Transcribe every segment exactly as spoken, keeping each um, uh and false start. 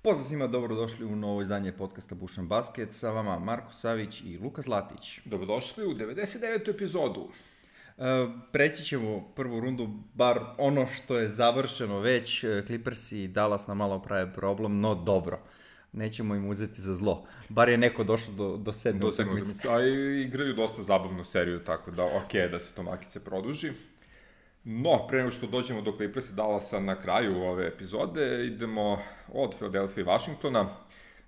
Pozdrav svima, dobrodošli u novo izdanje podcasta Bušan Basket, sa vama Marko Savić i Luka Zlatić. Dobrodošli u devedeset devetu epizodu. E, preći ćemo prvu rundu, bar ono što je završeno već, Clippers i Dallas nam malo prave problem, no dobro. Nećemo im uzeti za zlo. Bar je neko došao do, do sedme utakmice. A i igraju dosta zabavnu seriju, tako da okej okay, da se to makice produži. No, pre nego što dođemo do Clippers i Dallasa na kraju ove epizode, idemo od Philadelphia i Washingtona,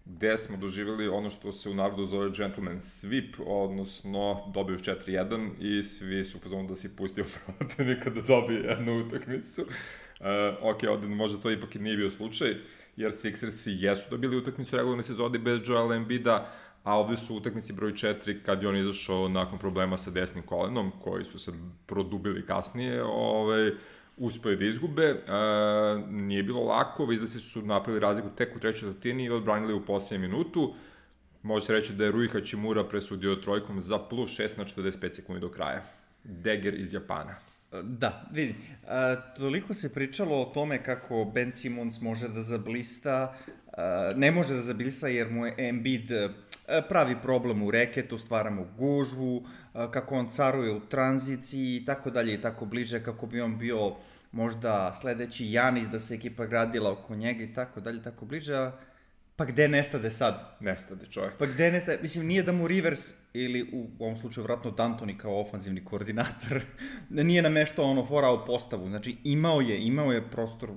gde smo doživjeli ono što se u narodu zove gentleman sweep, odnosno dobiju četiri jedan i svi su fazonu da si pustio protivnika da dobije jednu utakmicu. Uh, ok, ovde možda to ipak i nije bio slučaj, jer Sixersi jesu dobili utakmicu regularne sezone bez Joela Embida, a ovde su utakmici broj četiri kad je on izašao nakon problema sa desnim kolenom, koji su se produbili kasnije, ovaj, uspeli da izgube. E, nije bilo lako, Wizardsi su napravili razliku tek u trećoj četvrtini i odbranili u posljednjem minutu. Može se reći da je Rui Hachimura presudio trojkom za plus šest na četrdeset pet sekundi do kraja. Dagger iz Japana. Da, vidi, a, toliko se pričalo o tome kako Ben Simmons može da zablista, a, ne može da zablista jer mu je Embiid a, pravi problem u reketu, stvara mu gužvu, a, kako on caruje u tranziciji i tako dalje i tako bliže, kako bi on bio možda sledeći Janis, da se ekipa gradila oko njega i tako dalje, tako bliže, a pa gde nestade sad? Nestade čovjek. Pa gde nestade? Mislim, nije da mu Rivers, ili u ovom slučaju vratno D'Antoni kao ofanzivni koordinator, nije nameštao ono foul postavu. Znači, imao je, imao je prostor,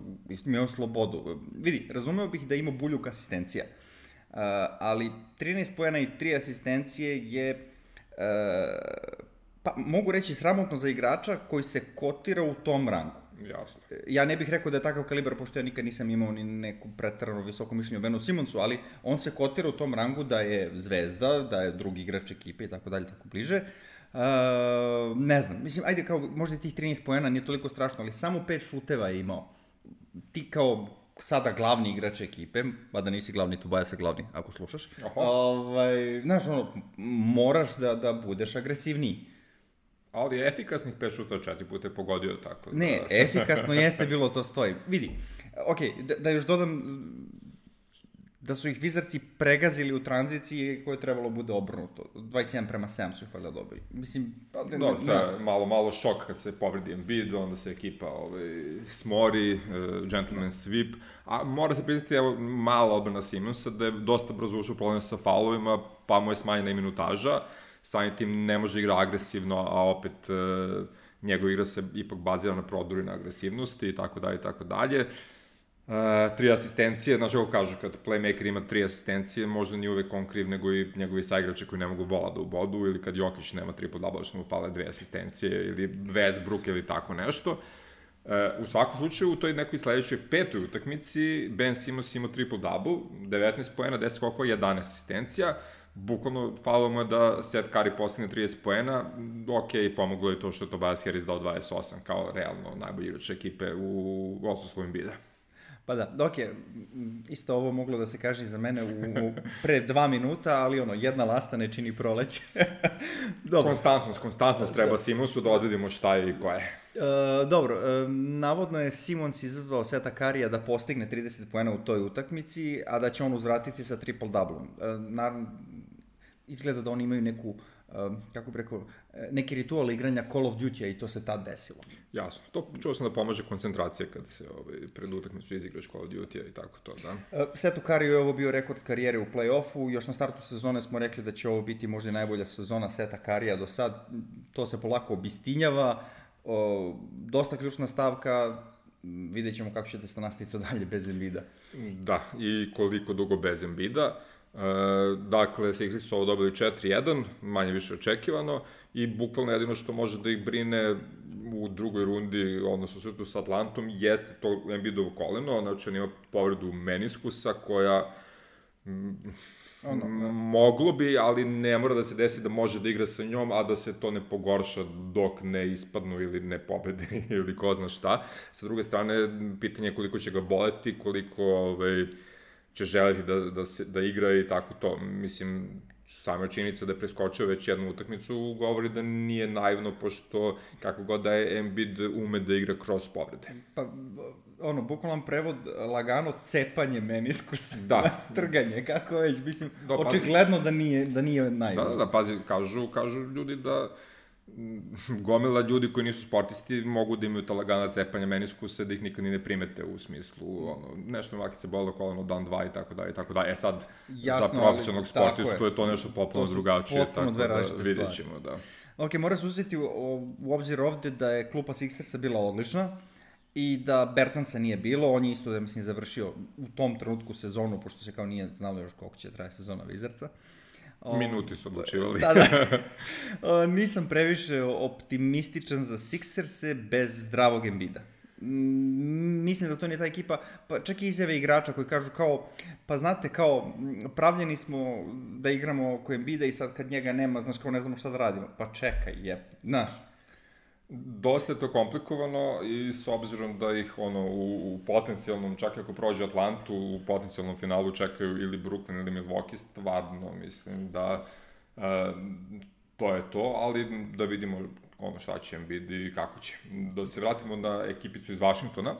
imao slobodu. Vidi, razumeo bih da ima buljuk asistencija, uh, ali trinaest poena i tri asistencije je, uh, pa mogu reći, sramotno za igrača koji se kotira u tom rangu. Jasno. Ja ne bih rekao da je takav kalibar, pošto ja nikad nisam imao ni neku pretarano visoko mišljenje o Benu Simonsu, ali on se kotira u tom rangu da je zvezda, da je drugi igrač ekipe i tako dalje, tako bliže. Uh, ne znam, mislim, ajde, kao, možda tih trinaest poena nije toliko strašno, ali samo pet šuteva je imao. Ti kao sada glavni igrač ekipe, mada nisi glavni, tu baja se glavni, ako slušaš, ovaj, znaš, ono, moraš da, da budeš agresivniji. Ali efikasnih pet šuta četiri puta je pogodio tako. Da... Ne, efikasno jeste bilo, to stoji. Vidi, ok, da, da još dodam da su ih Wizardsi pregazili u tranziciji koje je trebalo bude obrnuto. dvadeset jedan prema sedam su ih valjda dobili. Mislim, pa, da, no, to je malo, malo šok kad se povredi Embiid, onda se ekipa ovaj, smori, uh, gentleman sweep, a mora se priznati, evo, mala odbrana Simonsa, da je dosta brzo ušao problem sa faulovima, pa mu je smanjena i minutaža. Samim tim ne može igra agresivno, a opet e, njegov igra se ipak bazira na prodoru i na agresivnosti i tako dalje i tako dalje. E, tri asistencije, znaš kako kažu, kad playmaker ima tri asistencije, možda nije uvek on kriv, nego i njegovi saigrači koji ne mogu vola da ubodu, ili kad Jokić nema triple-double, što mu fale dve asistencije, ili Westbrook ili tako nešto. E, u svakom slučaju, u toj nekoj sledećoj petoj utakmici, Ben Simmons imao triple-double, devetnaest poena, deset skokova, jedanaest asistencija. Bukvalno, falilo mu je da Seth Curry postigne trideset poena, ok, pomoglo je to što je Tobias Harris dao dvadeset osam, kao realno najbolji igrač ekipe u odsustvu Embida. Pa da, ok, isto ovo moglo da se kaže i za mene u, u pre dva minuta, ali ono, jedna lasta ne čini proleće. Dobro. Konstantnost, konstantnost treba Simonsu da odredimo šta je i ko je. Uh, dobro, uh, navodno je Simons izazvao Seta Currya da postigne trideset poena u toj utakmici, a da će on uzvratiti sa triple-double. Uh, naravno, izgleda da oni imaju neku, uh, kako bih rekao, neki ritual igranja Call of Duty-a i to se tad desilo. Jasno, to čuo sam da pomaže koncentracija kad se ovaj, pred utakmicu izigraš Call of Duty-a i tako to, da. Uh, Setu Curryu je ovo bio rekord karijere u play-offu, još na startu sezone smo rekli da će ovo biti možda najbolja sezona Seta Currya do sad, to se polako obistinjava. O, dosta ključna stavka, vidjet ćemo kako ćete se nastaviti to dalje bez Embida. Da, i koliko dugo bez Embida. E, dakle, Sixersi su ovo dobili četiri jedan, manje više očekivano, i bukvalno jedino što može da ih brine u drugoj rundi, odnosno sutu sa Atlantom, jeste to Embidovo koleno, znači on ima povredu meniskusa koja... Ono, moglo bi, ali ne mora da se desi da može da igra sa njom, a da se to ne pogorša dok ne ispadnu ili ne pobedi ili ko zna šta. Sa druge strane, pitanje je koliko će ga boleti, koliko ovaj, će želeti da, da, se, da igra i tako to. Mislim, sama činjenica da je preskočio već jednu utakmicu govori da nije naivno, pošto kako god da je Embiid ume da igra kroz povrede. Pa, ono, bukvalan prevod, lagano cepanje meniskusa, da. trganje, kako već, mislim, da, očigledno da nije, da nije naivno. Da, da, da, pazi, kažu, kažu ljudi da gomila ljudi koji nisu sportisti mogu da imaju ta lagana cepanja meniskusa, da ih nikad ni ne primete u smislu, ono, nešto maki se bolilo koleno dan, dva i tako da, i tako da. E sad, Jasno, za profesionalnog sportistu je. je to nešto potpuno drugačije, tako da vidjet ćemo, da. Ok, mora se uzeti u, u obzir ovde da je klupa Sixersa bila odlična i da Bertansa nije bilo, on je isto, da mislim, završio u tom trenutku sezonu, pošto se kao nije znalo još koliko će traje sezona Wizardsa. Minuti su odlučivali. Da, da. O, nisam previše optimističan za Sixerse bez zdravog Embida. Mislim da to nije ta ekipa, pa čak i izjave igrača koji kažu kao, pa znate, kao, pravljeni smo da igramo oko Embida i sad kad njega nema, znaš, kao ne znamo šta da radimo. Pa čekaj, je, znaš. Dosta je to komplikovano i s obzirom da ih ono u, u potencijalnom, čak ako prođe Atlantu, u potencijalnom finalu čekaju ili Brooklyn ili Milwaukee, stvarno mislim da e, to je to, ali da vidimo ono šta će Embiid i kako će. Da se vratimo na ekipicu iz Vašingtona,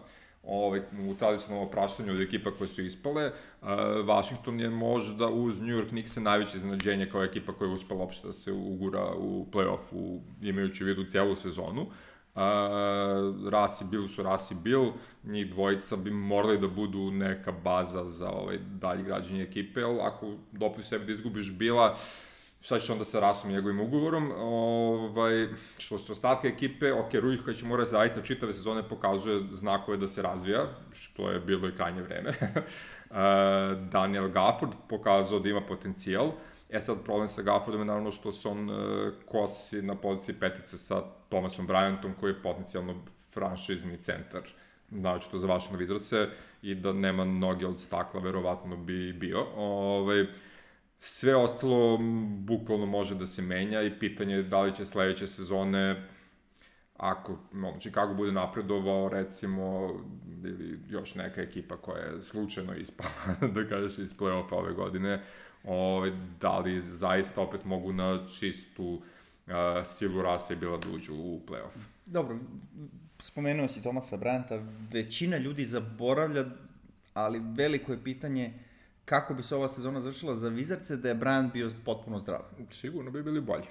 ovaj, u tradicionalnom opraštanju od ekipa koje su ispale, uh, Washington je možda uz New York Knicks najveće iznenađenje kao ekipa koja je uspela uopšte da se ugura u play-offu, imajući u vidu cijelu sezonu. Uh, Rasi Bill su Rasi Bill, njih dvojica bi morali da budu neka baza za ovaj dalje građenje ekipe, ali ako dopustiš sebi da izgubiš Billa, šta će onda sa Rasom i njegovim ugovorom, ovaj, što se ostatka ekipe, ok, Rui koji će morati zaista čitave sezone pokazuje znakove da se razvija, što je bilo i krajnje vreme. Daniel Gafford pokazao da ima potencijal, e sad problem sa Gaffordom je naravno što se on uh, kosi na poziciji petice sa Thomasom Bryantom koji je potencijalno franšizni centar, znači to za vaše Wizardse i da nema noge od stakla, verovatno bi bio. Ovaj, Sve ostalo bukvalno može da se menja i pitanje je da li će sledeće sezone, ako ono, Chicago bude napredovao, recimo, ili još neka ekipa koja je slučajno ispala, da kažeš, iz play-offa ove godine, ove, da li zaista opet mogu na čistu uh, silu Rasa i Billa da uđu u play-off. Dobro, spomenuo si Thomasa Bryanta, većina ljudi zaboravlja, ali veliko je pitanje kako bi se ova sezona završila za Wizardse da je Bryant bio potpuno zdrav. Sigurno bi bili bolji.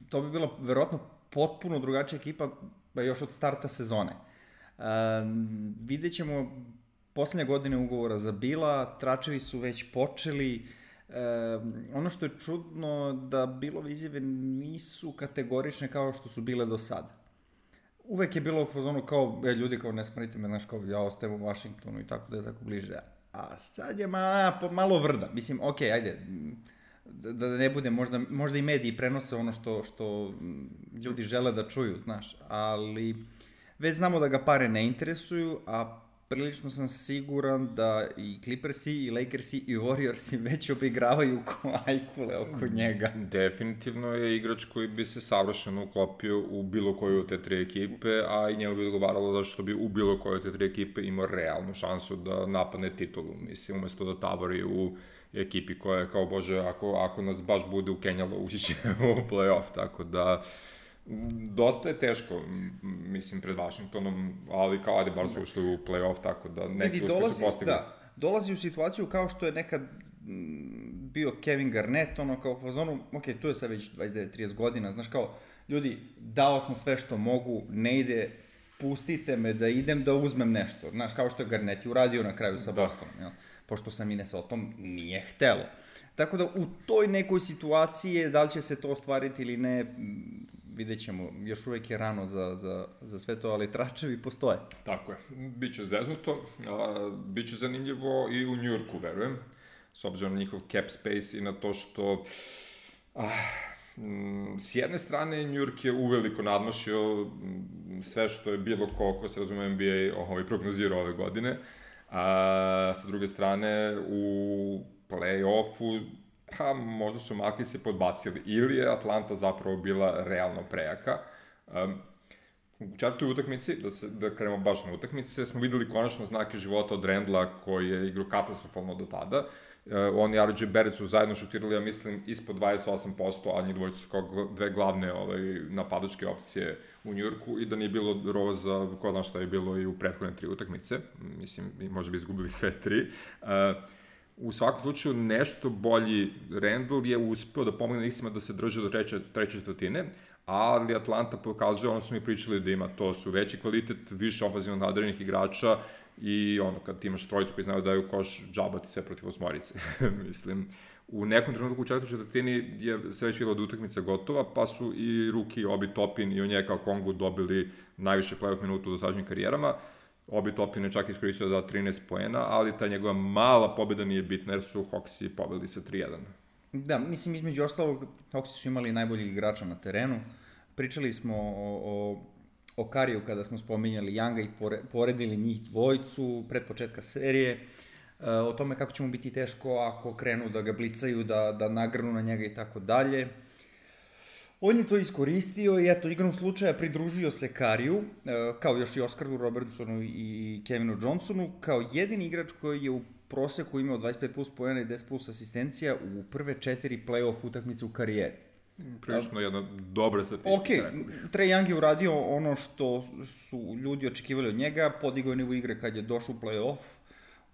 To bi bila verovatno potpuno drugačija ekipa još od starta sezone. Uh, vidjet ćemo poslednje godine ugovora za Billa, tračevi su već počeli. Uh, ono što je čudno da Billove izjave nisu kategorične kao što su bile do sada. Uvek je bilo u fazonu kao, e, ljudi kao ne smrite me, znaš, kao ja ostajem u Washingtonu i tako da je tako bliže. A sad je ma, malo vrda. Mislim, okej, okay, ajde, da, da ne bude, možda, možda i mediji prenose ono što, što ljudi žele da čuju, znaš, ali već znamo da ga pare ne interesuju, a prilično sam siguran da i Clippersi, i Lakersi, i Warriorsi već obigravaju ko ajkule oko njega. Definitivno je igrač koji bi se savršeno uklopio u bilo koju od te tri ekipe, a i njemu bi odgovaralo da što bi u bilo koju od te tri ekipe imao realnu šansu da napadne titulu. Mislim, umesto da tavori u ekipi koja je kao, bože, ako, ako nas baš bude ukenjalo, ući će u play-off, tako da dosta je teško, mislim, pred Washingtonom, ali kao ajde bar su ušli u play-off, tako da neki uspeh su postigli. Da, dolazi u situaciju kao što je nekad bio Kevin Garnett, ono kao u zonu, ok, tu je sad već dvadeset devet trideset godina, znaš kao, ljudi, dao sam sve što mogu, ne ide, pustite me da idem da uzmem nešto, znaš, kao što je Garnett i uradio na kraju sa Bostonom, jel? Pošto sa Minnesotom nije htelo. Tako da u toj nekoj situaciji, da li će se to ostvariti ili ne, vidjet ćemo, još uvek je rano za, za, za sve to, ali tračevi postoje. Tako je, biće zeznuto, a, biće zanimljivo i u Njujorku, verujem, s obzirom na njihov cap space i na to što ah, m, s jedne strane Njujork je uveliko nadmašio sve što je bilo ko, ko se razume N B A ovaj, prognozirao ove godine, a sa druge strane u play-offu pa možda su Malki se podbacili ili je Atlanta zapravo bila realno prejaka. Um, U četvrtoj utakmici, da, se, da krenemo baš na utakmice, smo videli konačno znake života od Randla koji je igrao katastrofalno do tada. Uh, on i R J Barrett su zajedno šutirali, ja mislim, ispod dvadeset osam posto, a njih dvojice su kao dve glavne ovaj, napadačke opcije u Njujorku i da nije bilo Roza, ko zna šta je bilo i u prethodne tri utakmice. Mislim, možda bi izgubili sve tri. Uh, U svakom slučaju, nešto bolji Randle je uspeo da pomogne Knicksima da se drže do treće, treće četvrtine, ali Atlanta pokazuje, ono smo mi pričali da ima, to su veći kvalitet, više ofenzivno nadarjenih igrača i ono, kad ti imaš trojicu koji znaju da daju koš, džabati sve protiv osmorice. Mislim, u nekom trenutku u četvrtoj četvrtini je sve već bila od utakmica gotova, pa su i Ruki, Obi Toppin i Onyeka Okongwu dobili najviše play-off minuta u dosadašnjim karijerama. Obi Toppin je čak iskoristio da da trinaest poena, ali ta njegova mala pobjeda nije bitna jer su Hawksi pobedili sa tri jedan. Da, mislim, između ostalog, Hawksi su imali najboljih igrača na terenu. Pričali smo o, o, o Kariju kada smo spominjali Younga i pore, poredili njih dvojicu pred početka serije, o tome kako će mu biti teško ako krenu da ga blicaju, da, da nagrnu na njega i tako dalje. On je to iskoristio i eto, igrom slučaja pridružio se Kariju, kao još i Oskaru Robertsonu i Kevinu Johnsonu, kao jedini igrač koji je u proseku imao dvadeset pet plus poena i deset plus asistencija u prve četiri play-off utakmice u karijeri. Prilično jedna dobra statistika. Ok, Trae Young je uradio ono što su ljudi očekivali od njega, podigao je nivo igre kad je došao u play-off,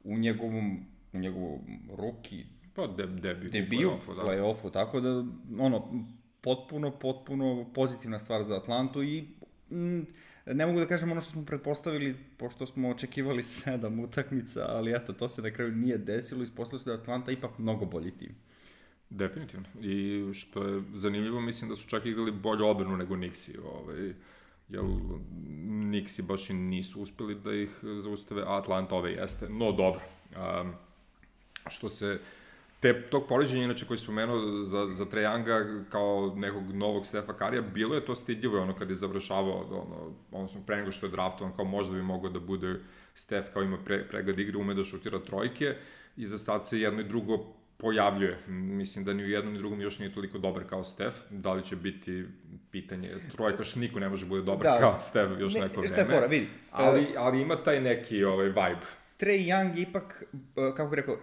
u njegovom, u njegovom ruki pa de, debiju, debiju u play-offu, da. play-offu, tako da, ono, potpuno, potpuno pozitivna stvar za Atlantu i mm, ne mogu da kažem ono što smo pretpostavili, pošto smo očekivali sedam utakmica, ali eto, to se na kraju nije desilo, ispostavilo se da Atlanta ipak mnogo bolji tim. Definitivno. I što je zanimljivo, mislim da su čak igrali bolju odbranu nego Knicksi, ovaj, jer Knicksi baš i nisu uspeli da ih zaustave, a Atlanta ove jeste, no dobro. Um, što se te, tog poređenja, inače, koji je spomenuo za, za Trae Younga kao nekog novog Stefa Karija, bilo je to stidljivo, ono, kad je završavao, ono, odnosno, pre nego što je draftovan, kao možda bi mogao da bude Stef, kao ima pre, pregled igre, ume da šutira trojke, i za sad se jedno i drugo pojavljuje. Mislim da ni u jednom ni drugom još nije toliko dobar kao Stef. Da li će biti pitanje trojka, što niko ne može bude dobar da, kao Stef još ne, neko vreme. Stefora, vidi. Ali, ali ima taj neki ovaj, vibe. Trae Young ipak, kako bih rekao,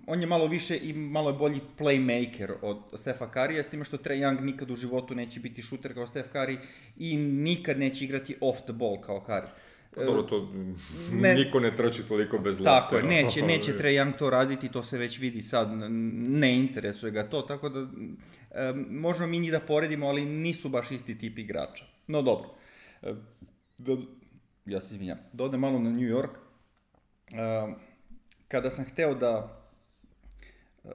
on je malo više i malo je bolji playmaker od Stefa Karija, s time što Trae Young nikad u životu neće biti šuter kao Stef Kari i nikad neće igrati off the ball kao Kari. Pa dobro, to ne, niko ne trči toliko bez lopte. Tako je, neće, neće Trae Young to raditi, to se već vidi sad, ne interesuje ga to, tako da e, možemo mi njih da poredimo, ali nisu baš isti tip igrača. No dobro, e, da, ja se izvinjam, da odem malo na New York. Uh, kada sam hteo da uh,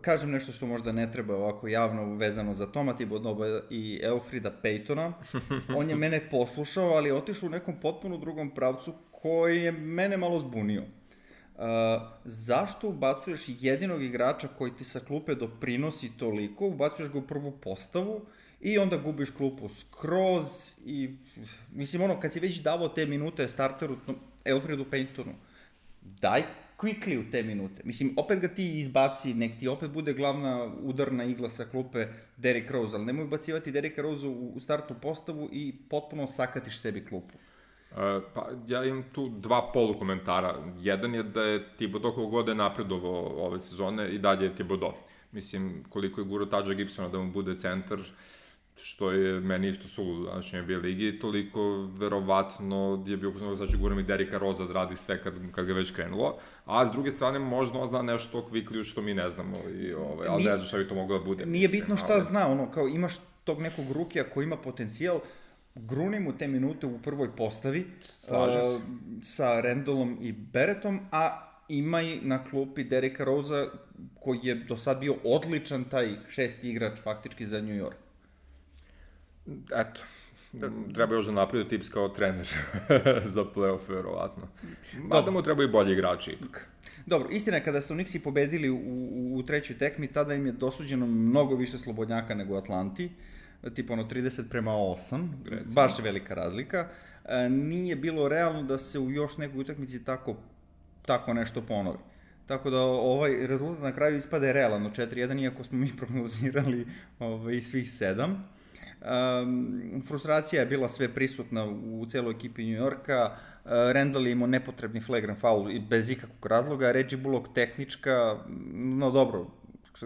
kažem nešto što možda ne treba ovako javno vezano za Toma Thibodeau i Elfrida Paytona, on je mene poslušao, ali je otišao u nekom potpuno drugom pravcu koji je mene malo zbunio. Uh, zašto ubacuješ jedinog igrača koji ti sa klupe doprinosi toliko, ubacuješ ga u prvu postavu i onda gubiš klupu skroz i mislim ono kad si već davao te minute starteru Elfridu Paytonu, daj quickly u te minute. Mislim, opet ga ti izbaci, nek ti opet bude glavna udarna igla sa klupe Derrick Rose, ali nemoj ubacivati Derricka Rose u, u startnu postavu i potpuno sakatiš sebi klupu. Uh, pa ja imam tu dva polukomentara. Jedan je da je Thibodeau koliko god je napredovao ove sezone i dalje je Thibodeau. Mislim, koliko je gurao Tadža Gibsona da mu bude centar, što je meni isto suludo u današnjoj N B A ligi, toliko verovatno je bio uzmano znači guram i Derricka Rosa da radi sve kad, kad ga već krenulo, a s druge strane možda on zna nešto o Quicklyu što mi ne znamo, i, ovaj, ali nije, ne znam šta bi to moglo da bude. Nije mislim, bitno šta ali... zna, ono, kao imaš tog nekog rukija koji ima potencijal, gruni mu te minute u prvoj postavi Slažem se. Uh, sa Randallom i Barrettom, a ima i na klupi Derricka Rosa koji je do sad bio odličan taj šesti igrač faktički za New York. Eto, da, treba još da napravi tips kao trener za play-off, verovatno. Mada mu treba i bolji igrači ipak. Dobro, istina je kada su Knicksi pobedili u, u, u trećoj tekmi, tada im je dosuđeno mnogo više slobodnjaka nego u Atlanti, tipa ono trideset prema osam, Recimo. Baš je velika razlika. E, nije bilo realno da se u još nekoj utakmici tako, tako nešto ponovi. Tako da ovaj rezultat na kraju ispade realno četiri jedan, iako smo mi prognozirali ovaj, svih sedam. Uh, Um, frustracija je bila sve prisutna u celoj ekipi New Yorka. Uh, Randall je imao nepotrebni flagrant foul i bez ikakvog razloga. Reggie Bullock tehnička, no dobro,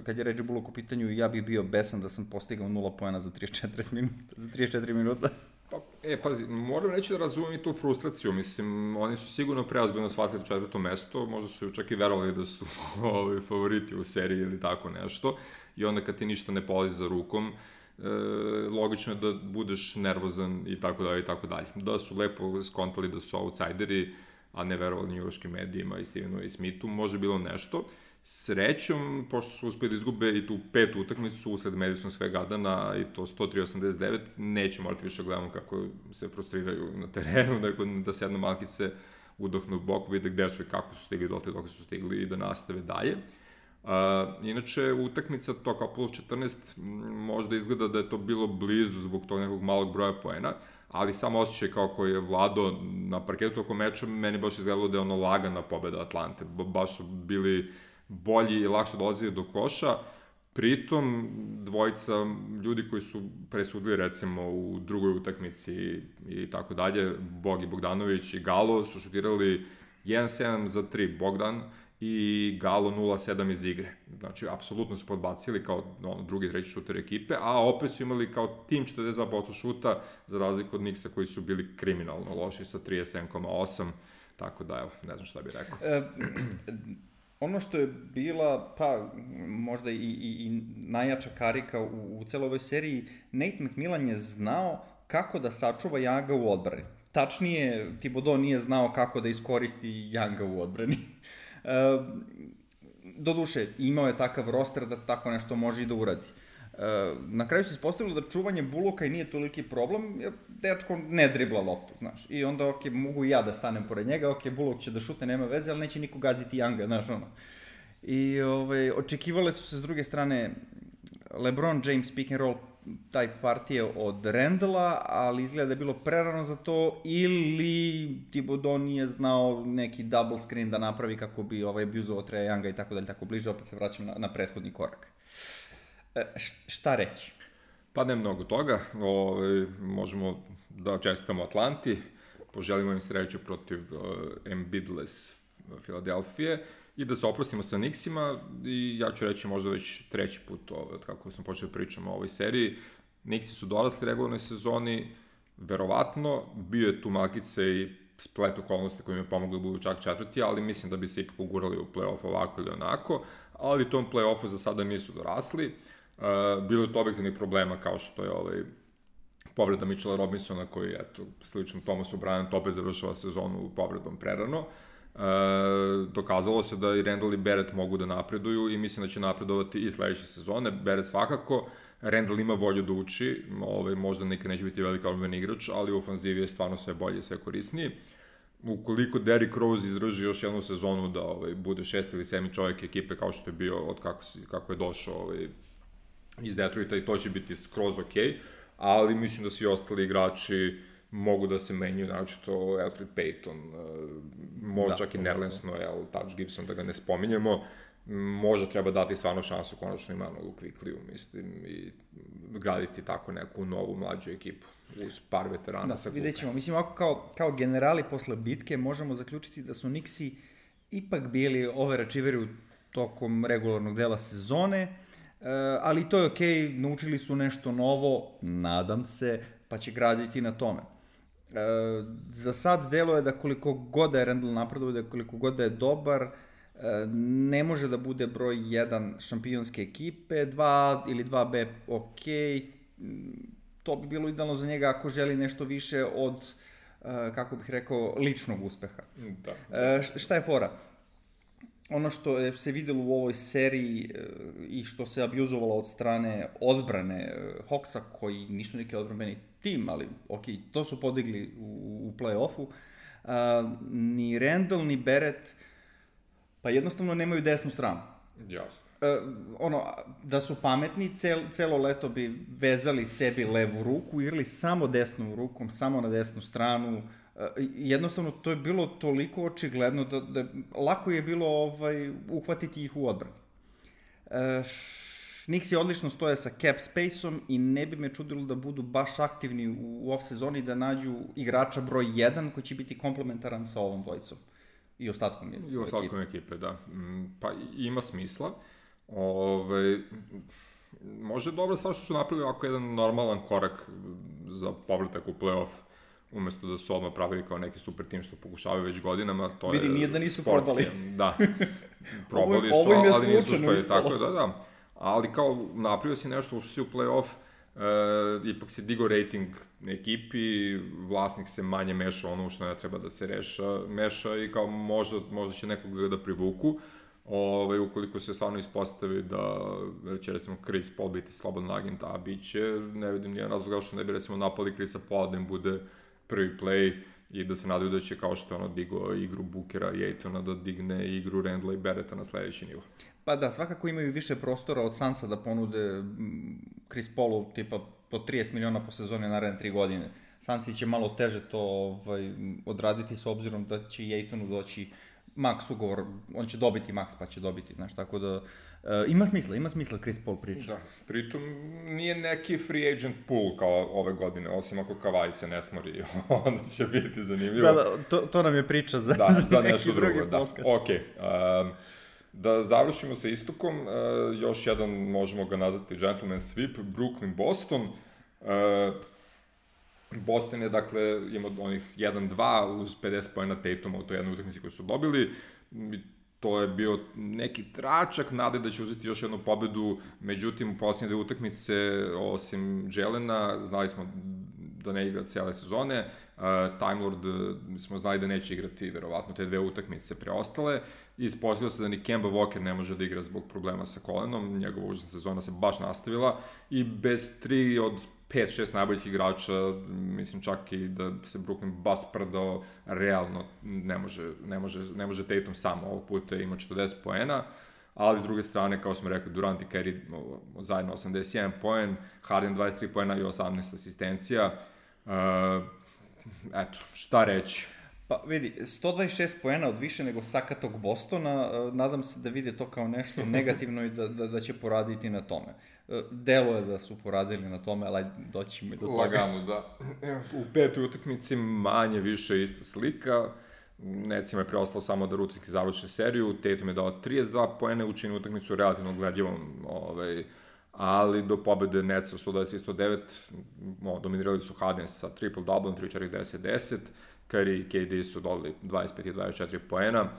kad je Reggie Bullock u pitanju, ja bih bio besan da sam postigao nula poena za trideset četiri minuta. Za trideset četiri minuta. Pa, e, pazi, moram reći da razumijem i tu frustraciju, mislim, oni su sigurno preozbiljno shvatili četvrto mesto, možda su čak i verovali da su ovi, favoriti u seriji ili tako nešto, i onda kad ti ništa ne polazi za rukom, e, logično je da budeš nervozan i tako dalje i tako dalje. Da su lepo skontali da su outsideri, a ne verovali njujorškim medijima i Stevenu i Smithu, može bilo nešto. Srećom, pošto su uspeli da izgube i tu petu utakmicu usled Madison Square Gardena i to sto tri osamdeset devet, neće morati više gledamo kako se frustriraju na terenu, dakle da sednu malkice, udahnu u bok, vide gde su i kako su stigli dotle dok su stigli i da nastave dalje. Uh, inače, utakmica to kao plus četrnaest možda izgleda da je to bilo blizu zbog tog nekog malog broja poena, ali samo osjećaj kao koji je vladao na parketu oko meča, meni baš izgledalo da je ono lagana pobeda Atlante, baš su bili bolji i lakše dolazili do koša, pritom dvojica ljudi koji su presudili recimo u drugoj utakmici i tako dalje, Bogi Bogdanović i Galo su šutirali jedan sedam za tri Bogdan i Galo nula sedam iz igre. Znači, apsolutno su podbacili kao ono, drugi, treći šuter ekipe, a opet su imali kao tim četrdeset dva posto šuta, za razliku od Knicksa koji su bili kriminalno loši sa trideset sedam zarez osam, tako da, evo, ne znam šta bih rekao. E, ono što je bila, pa, možda i, i, i najjača karika u, u celoj ovoj seriji, Nate McMillan je znao kako da sačuva Younga u odbrani. Tačnije, Thibodeau nije znao kako da iskoristi Younga u odbrani. E, doduše, imao je takav roster da tako nešto može i da uradi. E, na kraju se ispostavilo da čuvanje Bullocka i nije toliki problem, jer dečko ne dribla loptu, znaš. I onda, ok, mogu i ja da stanem pored njega, ok, Bullock će da šute, nema veze, ali neće niko gaziti Younga, znaš, ono. I ovaj, očekivale su se s druge strane LeBron James pick and roll taj partije od Randalla, ali izgleda da je bilo prerano za to, ili Thibodeau nije znao neki double screen da napravi kako bi ovaj abuzovao Trae Younga i tako dalje, tako bliže, opet se vraćam na, na prethodni korak. E, šta reći? Pa ne mnogo toga, o, možemo da čestitamo Atlanti, poželimo im sreću protiv uh, Embiidless Filadelfije i da se oprostimo sa Knicksima, i ja ću reći možda već treći put ovaj, od kako smo počeli pričamo o ovoj seriji. Knicksi su dorasli regularnoj sezoni, verovatno, bio je tu malkice i splet okolnosti koji im je pomogli da budu čak četvrti, ali mislim da bi se ipak ugurali u play-off ovako ili onako, ali tom play-offu za sada nisu dorasli. Uh, bilo je to objektivnih problema kao što je ovaj, povreda Mitchella Robinsona koji, eto, slično Thomasu Bryantu opet završava sezonu povredom prerano. E, dokazalo se da i Randall i Barrett mogu da napreduju i mislim da će napredovati i sledeće sezone. Barrett svakako, Randall ima volju da uči, ovaj, možda nikad neće biti velika odmeni igrač, ali u ofanzivi je stvarno sve bolje i sve korisniji. Ukoliko Derrick Rose izdrži još jednu sezonu da ovaj, bude šest ili sedmi čovjek ekipe kao što je bio od kako, kako je došao ovaj, iz Detroita, i to će biti skroz okej, okay, ali mislim da svi ostali igrači mogu da se menjaju, naročito Elfrid Payton, možda da, čak i Nerlens Noel, Taj Gibson, da ga ne spominjemo, možda treba dati stvarno šansu konačno Immanuelu Quickliju, mislim, i graditi tako neku novu mlađu ekipu uz par veterana da, sa klupe. Vidjet ćemo, mislim, ovako kao, kao generali posle bitke možemo zaključiti da su Knicksi ipak bili overachieveri tokom regularnog dela sezone, ali to je okej, okay, naučili su nešto novo, nadam se, pa će graditi na tome. E, za sad delo je da koliko god da je Randall napreduje, da koliko god da je dobar, e, ne može da bude broj jedan šampionske ekipe, dva ili dva be ok, to bi bilo idealno za njega ako želi nešto više od, e, kako bih rekao, ličnog uspeha. Da, da. E, šta je fora? Ono što je se videlo u ovoj seriji e, i što se abuzovalo od strane odbrane e, Hawksa, koji nisu neki odbrambeni tim, ali ok, to su podigli u, u play-offu, a, ni Randall, ni Barrett, pa jednostavno nemaju desnu stranu. Jasno. E, ono, da su pametni, cel, celo leto bi vezali sebi levu ruku, igrali samo desnom rukom, samo na desnu stranu. Jednostavno, to je bilo toliko očigledno da, da lako je bilo ovaj, uhvatiti ih u odbrani. E, Knicksi odlično stoje sa cap space-om i ne bi me čudilo da budu baš aktivni u off-sezoni da nađu igrača broj jedan koji će biti komplementaran sa ovom dvojicom. I ostatkom ekipe. I ostatkom ekipe, da. Pa ima smisla. Ove, može dobra stvar što su napravili ovako jedan normalan korak za povratak u play-off, umesto da su odmah pravili kao neki super tim što pokušavaju već godinama. To Vidi, je nije da nisu sportski, probali. Da, probali ovo, su, ovo ali nisu uspeli. Ispalo. Tako da, da. Ali kao napravio si nešto, ušli si u play-off, e, ipak si digo rating ekipi, vlasnik se manje meša ono što ne treba da se reša, meša i kao možda, možda će nekoga da privuku. Ove, ukoliko se stvarno ispostavi da će recimo Chris Paul biti slobodan agent, a bit će, ne vidim nijedan razlog što ne bi recimo napali Chrisa Paula da im bude prvi play i da se nadaju da će kao što je ono digo igru Bookera i Aytona da digne igru Randla i Barretta na sledeći nivo. Pa da, svakako imaju više prostora od Sansa da ponude Chris Paulu tipa po trideset miliona po sezoni naredne tri godine. Sansi će malo teže to ovaj, odraditi s obzirom da će i Aytonu doći max ugovor, on će dobiti max pa će dobiti, znaš, tako da e, ima smisla, ima smisla Chris Paul priča. Da, pritom nije neki free agent pool kao ove godine, osim ako Kawhi se ne smori, onda će biti zanimljivo. Da, da, to, to nam je priča za, da, za, za neki nešto drugi drugo, podcast. Da, okej. Okay. Um, da završimo sa istokom, uh, još jedan, možemo ga nazvati gentleman sweep, Brooklyn-Boston. Uh, Boston je, dakle, ima onih jedan dva uz pedeset poena Tatuma u toj jednoj utakmici koju su dobili. To je bio neki tračak nade da će uzeti još jednu pobedu, međutim, u posljednje dve utakmice, osim Jelena, znali smo da ne igra cijele sezone. Uh, Time Lord smo znali da neće igrati, verovatno, te dve utakmice preostale. I ispostavilo se da ni Kemba Walker ne može da igra zbog problema sa kolenom. Njegova užasna sezona se baš nastavila. I bez tri od pet šest najboljih igrača, mislim čak i da se Brooklyn bas prdao, realno ne može, ne može, ne može Tatum sam ovog puta, ima četrdeset poena, ali s druge strane, kao smo rekli, Durant i Curry zajedno osamdeset jedan poen, Harden dvadeset tri poena i osamnaest asistencija. Uh, eto, šta reći? Pa vidi, sto dvadeset šest poena od više nego sakatog Bostona, nadam se da vide to kao nešto negativno i da, da, da će poraditi na tome. Delo je da su poradili na tome, ali doćemo i do toga. Lagano, da. U petoj utakmici manje više ista slika. Necima je preostalo samo da rutinski završe seriju. Tatum je dao trideset dva poena, učinio utakmicu relativno gledljivom, ovaj, ali do pobede Netsa sto dvadeset i sto devet no, dominirali su Harden sa triple-double, tri četiri deset deset. Curry i K D su dodali dvadeset pet i dvadeset četiri poena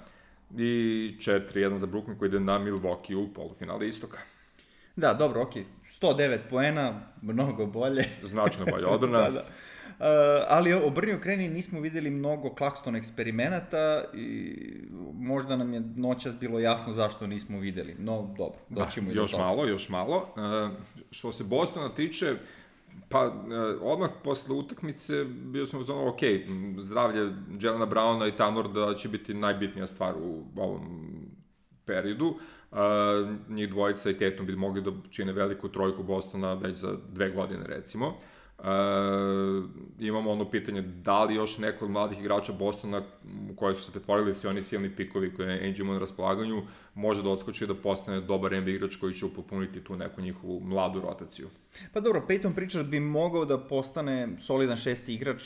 i četiri jedan za Brooklyn koji ide na Milwaukee u polufinale istoka. Da, dobro, okej. sto devet poena, mnogo bolje. Značajno bolje odbrana. da, da. Uh, ali obrni okreni nismo videli mnogo Claxton eksperimenata i možda nam je noćas bilo jasno zašto nismo videli. No, dobro, doćemo da, i do još toga. malo, još malo. Uh, što se Bostona tiče, pa uh, odmah posle utakmice bio sam uzmano, ok, zdravlje Jelena Browna i Tanlorda će biti najbitnija stvar u ovom periodu. Uh, njih dvojica i Tatum bi mogli da čine veliku trojku Bostona već za dve godine, recimo. Uh, imamo ono pitanje da li još neko od mladih igrača Bostona u koje su se pretvorili svi oni silni pikovi koje je Angie ima na raspolaganju može da odskoči da postane dobar N B A igrač koji će upopuniti tu neku njihovu mladu rotaciju. Pa dobro, Peyton Pritchard bi mogao da postane solidan šesti igrač,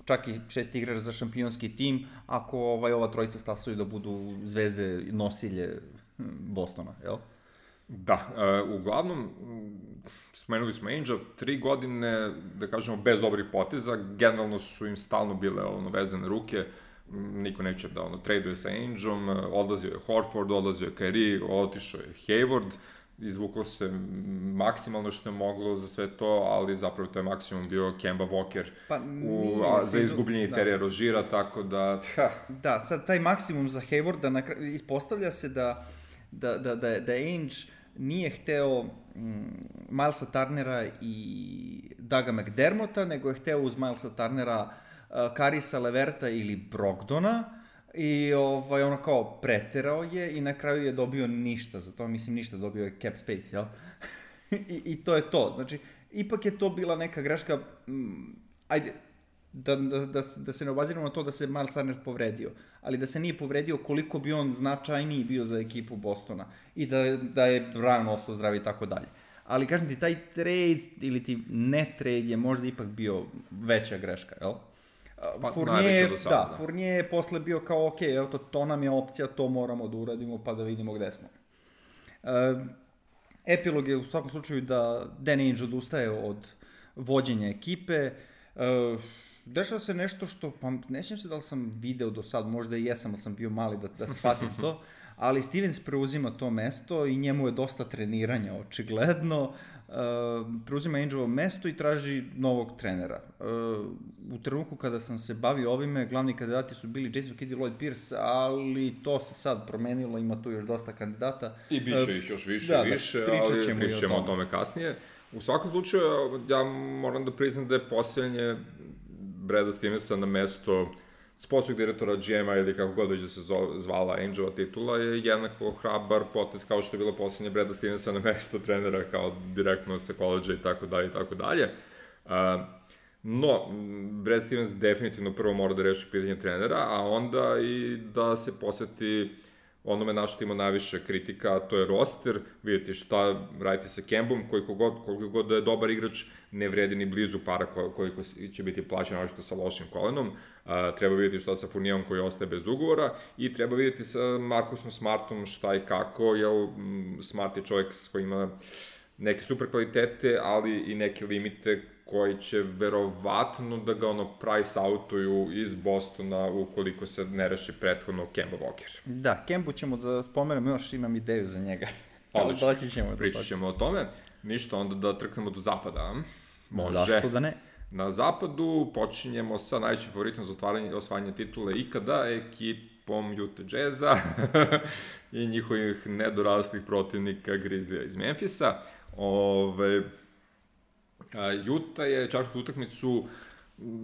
čak i šesti igrač za šampionski tim, ako ovaj, ova trojica stasaju da budu zvezde nosilje Bostona, jel? Da, uh, uglavnom, spomenuli smo Angel, tri godine, da kažemo, bez dobrih poteza, generalno su im stalno bile ono, vezane ruke, niko neće da ono, traduje sa Angelom, odlazio je Horford, odlazio je Kyrie, otišao je Hayward, izvuklo se maksimalno što je moglo za sve to, ali zapravo to je maksimum bio Kemba Walker pa, u, a, za izgubljenje da. Terija Roziera, tako da... Tja. Da, sad taj maksimum za Haywarda, nakra... ispostavlja se da da, da, da, da Ainge nije hteo mm, Milesa Turnera i Douga McDermotta, nego je hteo uz Milesa Turnera uh, Karisa Leverta ili Brogdona i ovaj, ono kao preterao je i na kraju je dobio ništa za to, mislim ništa, dobio je cap space, jel? I, I to je to, znači, ipak je to bila neka greška, mm, ajde, da, da, da, da se ne obaziramo na to da se Miles Turner povredio, ali da se nije povredio koliko bi on značajniji bio za ekipu Bostona i da, da je Brown ostao zdrav i tako dalje. Ali kažem ti, taj trade ili ti ne trade je možda ipak bio veća greška, jel? Pa, Fournier, do sad, da, da. Fournier je posle bio kao, ok, evo to, to nam je opcija, to moramo da uradimo pa da vidimo gde smo. Uh, epilog je u svakom slučaju da Dan Ainge odustaje od vođenja ekipe. Uh, dešava se nešto što, pa ne sjećam se da li sam video do sad, možda i jesam, ali sam bio mali da, da shvatim to, ali Stevens preuzima to mesto i njemu je dosta treniranja, očigledno. Uh, preuzima Aingeovo mesto i traži novog trenera. Uh, u trenutku kada sam se bavio ovime, glavni kandidati su bili Jason Kidd i Lloyd Pierce, ali to se sad promenilo, ima tu još dosta kandidata. I biće uh, ih još više da, i više, da, pričat ali ćemo pričat ćemo o tome. tome kasnije. U svakom slučaju, ja moram da priznam da je posljednje Brada Stevensa na mesto sportskog direktora G M-a ili kako god već da se zvala Aingeova titula je jednako hrabar potez kao što je bilo posljednje Brada Stevensa na mesto trenera kao direktno sa koleđa i tako dalje i tako dalje. No, Brad Stevens definitivno prvo mora da reši pitanje trenera, a onda i da se posveti onome na što ima najviše kritika, a to je roster. Vidite šta radite sa Kembom, koliko god, koliko god da je dobar igrač, ne vredi ni blizu para koliko će biti plaćeno, našto sa lošim kolenom. Uh, treba vidjeti šta sa Fournierom koji ostaje bez ugovora i treba vidjeti sa Marcusom Smartom šta i kako, jer mm, Smart je čovjek koji ima neke super kvalitete, ali i neke limite koji će verovatno da ga ono price outuju iz Bostona ukoliko se ne reši prethodno Kemba Walker. Da, Kembu ćemo da spomenemo, još imam ideju za njega. Odlično, doći ćemo pričat ćemo o tome. Ništa, onda da trknemo do zapada. Može. Zašto da ne? Na zapadu počinjemo sa najvećim favoritom za otvaranje, osvajanje titule ikada, ekipom Utah Jazza i njihovih nedoraslih protivnika Grizzlija iz Memphisa. Ove, Utah je četvrtu utakmicu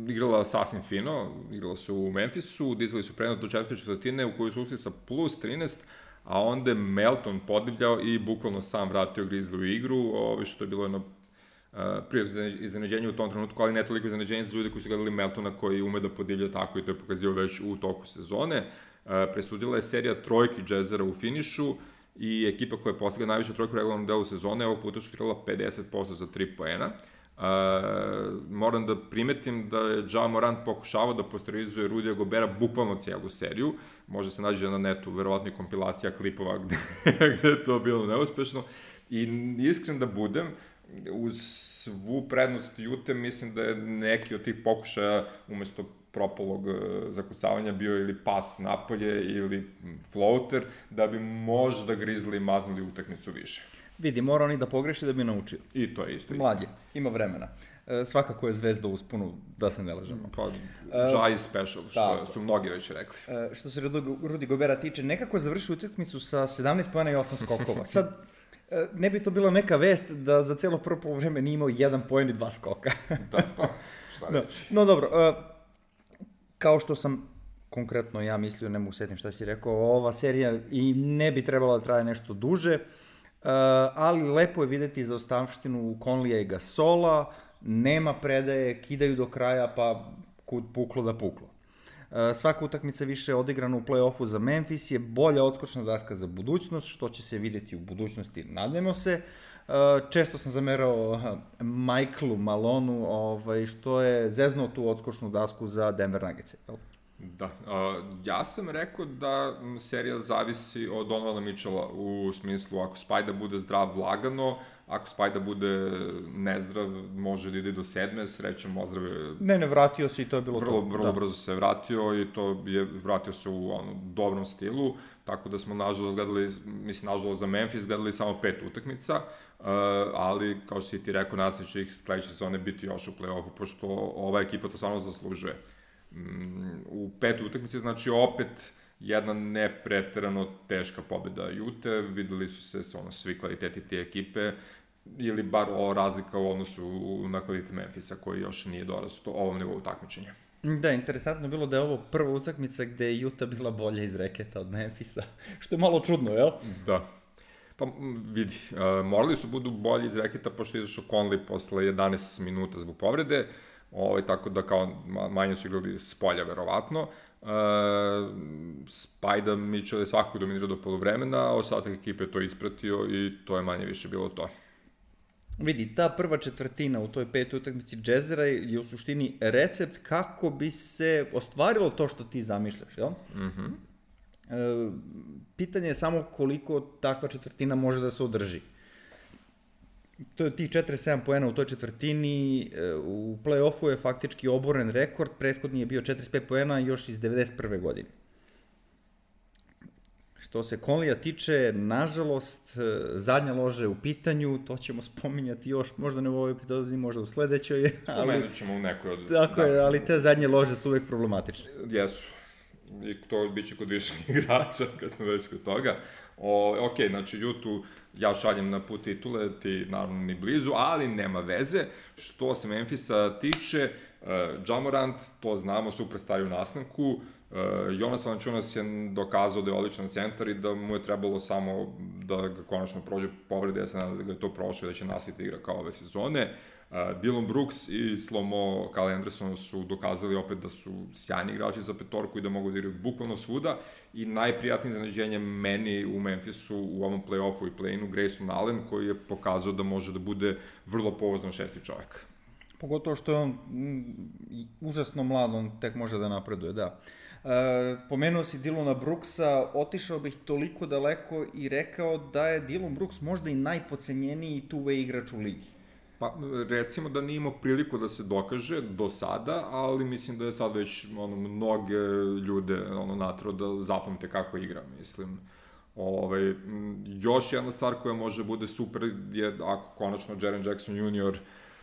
igrala sasvim fino, igrala su u Memphisu, dizali su prednost do četvrte četvrtine u kojoj su ušli sa plus trinaest, a onda je Melton podivljao i bukvalno sam vratio Grizzly u igru, ove, što je bilo jedno uh, prijatno iznenađenje u tom trenutku, ali ne toliko iznenađenje za ljude koji su gledali Meltona koji ume da podivlja tako i to je pokazio već u toku sezone. Uh, presudila je serija trojki Jazzera u finišu i ekipa koja je postigla najviše trojku u regularnom delu sezone ovog puta šutirala pedeset posto za tri poena. Uh, moram da primetim da je Ja Morant pokušavao da posterizuje Rudija Gobera bukvalno cijelu seriju. Može se nađe na netu, verovatno i kompilacija klipova gde, gde je to bilo neuspešno. I iskren da budem, uz svu prednost Jute, mislim da je neki od tih pokušaja umesto propalog zakucavanja bio ili pas napolje ili floater, da bi možda Grizzly maznuli utakmicu više. Vidi, mora oni da pogreši da bi naučio. I to je isto. Mlad je, ima vremena. E, svakako je zvezda u usponu, da se ne lažemo. Pa, Ja is special, što tako su mnogi već rekli. E, što se Rudi Gobera tiče, nekako je završio utakmicu sa sedamnaest poena i osam skokova. Sad, e, ne bi to bila neka vest da za cijelo prvo poluvreme nije imao jedan poen i dva skoka. Da, pa, šta reći. No, no dobro, e, kao što sam konkretno ja mislio, ne mogu setim šta si rekao, ova serija i ne bi trebala da traje nešto duže, Uh, ali lepo je videti zaostavštinu Conleya i Gasola, nema predaje, kidaju do kraja, pa kud puklo da puklo. Uh, svaka utakmica više odigrana u play-offu za Memphis je bolja odskočna daska za budućnost, što će se videti u budućnosti, nadajmo se. Uh, često sam zamerao uh, Michaelu Malonu, ovaj, što je zeznuo tu odskočnu dasku za Denver Nuggets. Da, uh, ja sam rekao da serija zavisi od Donovana Mitchella u smislu ako Spajda bude zdrav lagano, ako Spajda bude nezdrav može da ide do sedme, srećom ozdrave. Ne, ne, vratio se i to je bilo vrlo, to. Vrlo da. brzo se vratio i to je vratio se u ono, dobrom stilu, tako da smo nažalost gledali, mislim nažalost za Memphis gledali samo pet utakmica, uh, ali kao što si ti rekao, nadam se će ih sledeće sezone biti još u play-offu, pošto ova ekipa to stvarno zaslužuje. U pet utakmice, znači opet jedna nepreterano teška pobeda Jute, videli su se ono, svi kvaliteti te ekipe ili bar o razlika u odnosu na kvalitet Memphisa koji još nije dorastao ovom nivou takmičenja. Da, interesantno je bilo da je ovo prva utakmica gde je Juta bila bolja iz reketa od Memphisa, što je malo čudno, jel? Da. Pa vidi, uh, morali su budu bolji iz reketa pošto je izašao Conley posle jedanaest minuta zbog povrede. ovaj, tako da kao manje su igrali s polja, verovatno. Uh, Spajda Mitchell je svakako dominirao do poluvremena, a ostatak ekipe je to ispratio i to je manje više bilo to. Vidi, ta prva četvrtina u toj petoj utakmici Jazzera je u suštini recept kako bi se ostvarilo to što ti zamišljaš, jel? Mhm. Mm e, pitanje je samo koliko takva četvrtina može da se održi. To je tih četrdeset sedam poena u toj četvrtini, u play-offu je faktički oboren rekord, prethodni je bio četrdeset pet poena još iz devedeset prve godine. Što se Conleya tiče, nažalost, zadnja loža je u pitanju, to ćemo spominjati još, možda ne u ovoj epizodi, možda u sledećoj. Ali, pomenut ćemo u nekoj od... Tako je, ali te zadnje lože su uvek problematične. Jesu. I to bit će kod više igrača, kad smo već kod toga. O, ok, znači, Jutu ja šaljem na put titule, ti naravno ni blizu, ali nema veze. Što se Memphisa tiče, uh, Ja Morant, to znamo, superstar u nastanku, uh, Jonas Valanciunas je dokazao da je odličan centar i da mu je trebalo samo da ga konačno prođe povrede, ja se nadam da ga je to prošlo i da će nastaviti igra kao ove sezone. Uh, Dillon Brooks i Slomo Kyle Anderson su dokazali opet da su sjajni igrači za petorku i da mogu da igraju bukvalno svuda i najprijatnije iznenađenje meni u Memphisu u ovom play-offu i play-inu Grayson Allen koji je pokazao da može da bude vrlo pouzdan šesti čovjek. Pogotovo što je on m, užasno mlad, on tek može da napreduje, da. E, pomenuo si Dillona Brooksa, otišao bih toliko daleko i rekao da je Dillon Brooks možda i najpocenjeniji two-way igrač u ligi. Pa, recimo da nije imao priliku da se dokaže do sada, ali mislim da je sad već ono, mnoge ljude ono, natrao da zapamte kako igra, mislim. Ove, još jedna stvar koja može bude super je ako konačno Jaren Jackson junior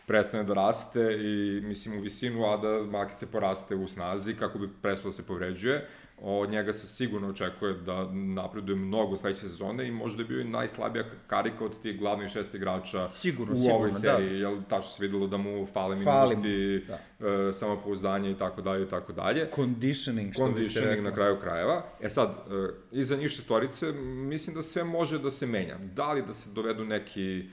prestane da raste i mislim u visinu, a da makice poraste u snazi kako bi prestao da se povređuje. Od njega se sigurno očekuje da napreduje mnogo sledeće sezone i možda je bio i najslabija karika od tih glavnih šest igrača sigurno, u ovoj sigurno, seriji, da. Jel tačno se videlo da mu fale minuti, da. e, samopouzdanje i tako dalje i tako dalje. Conditioning, što bi se rekao. Na kraju krajeva. E sad, e, iza njih šestorice, mislim da sve može da se menja. Da li da se dovedu neki e,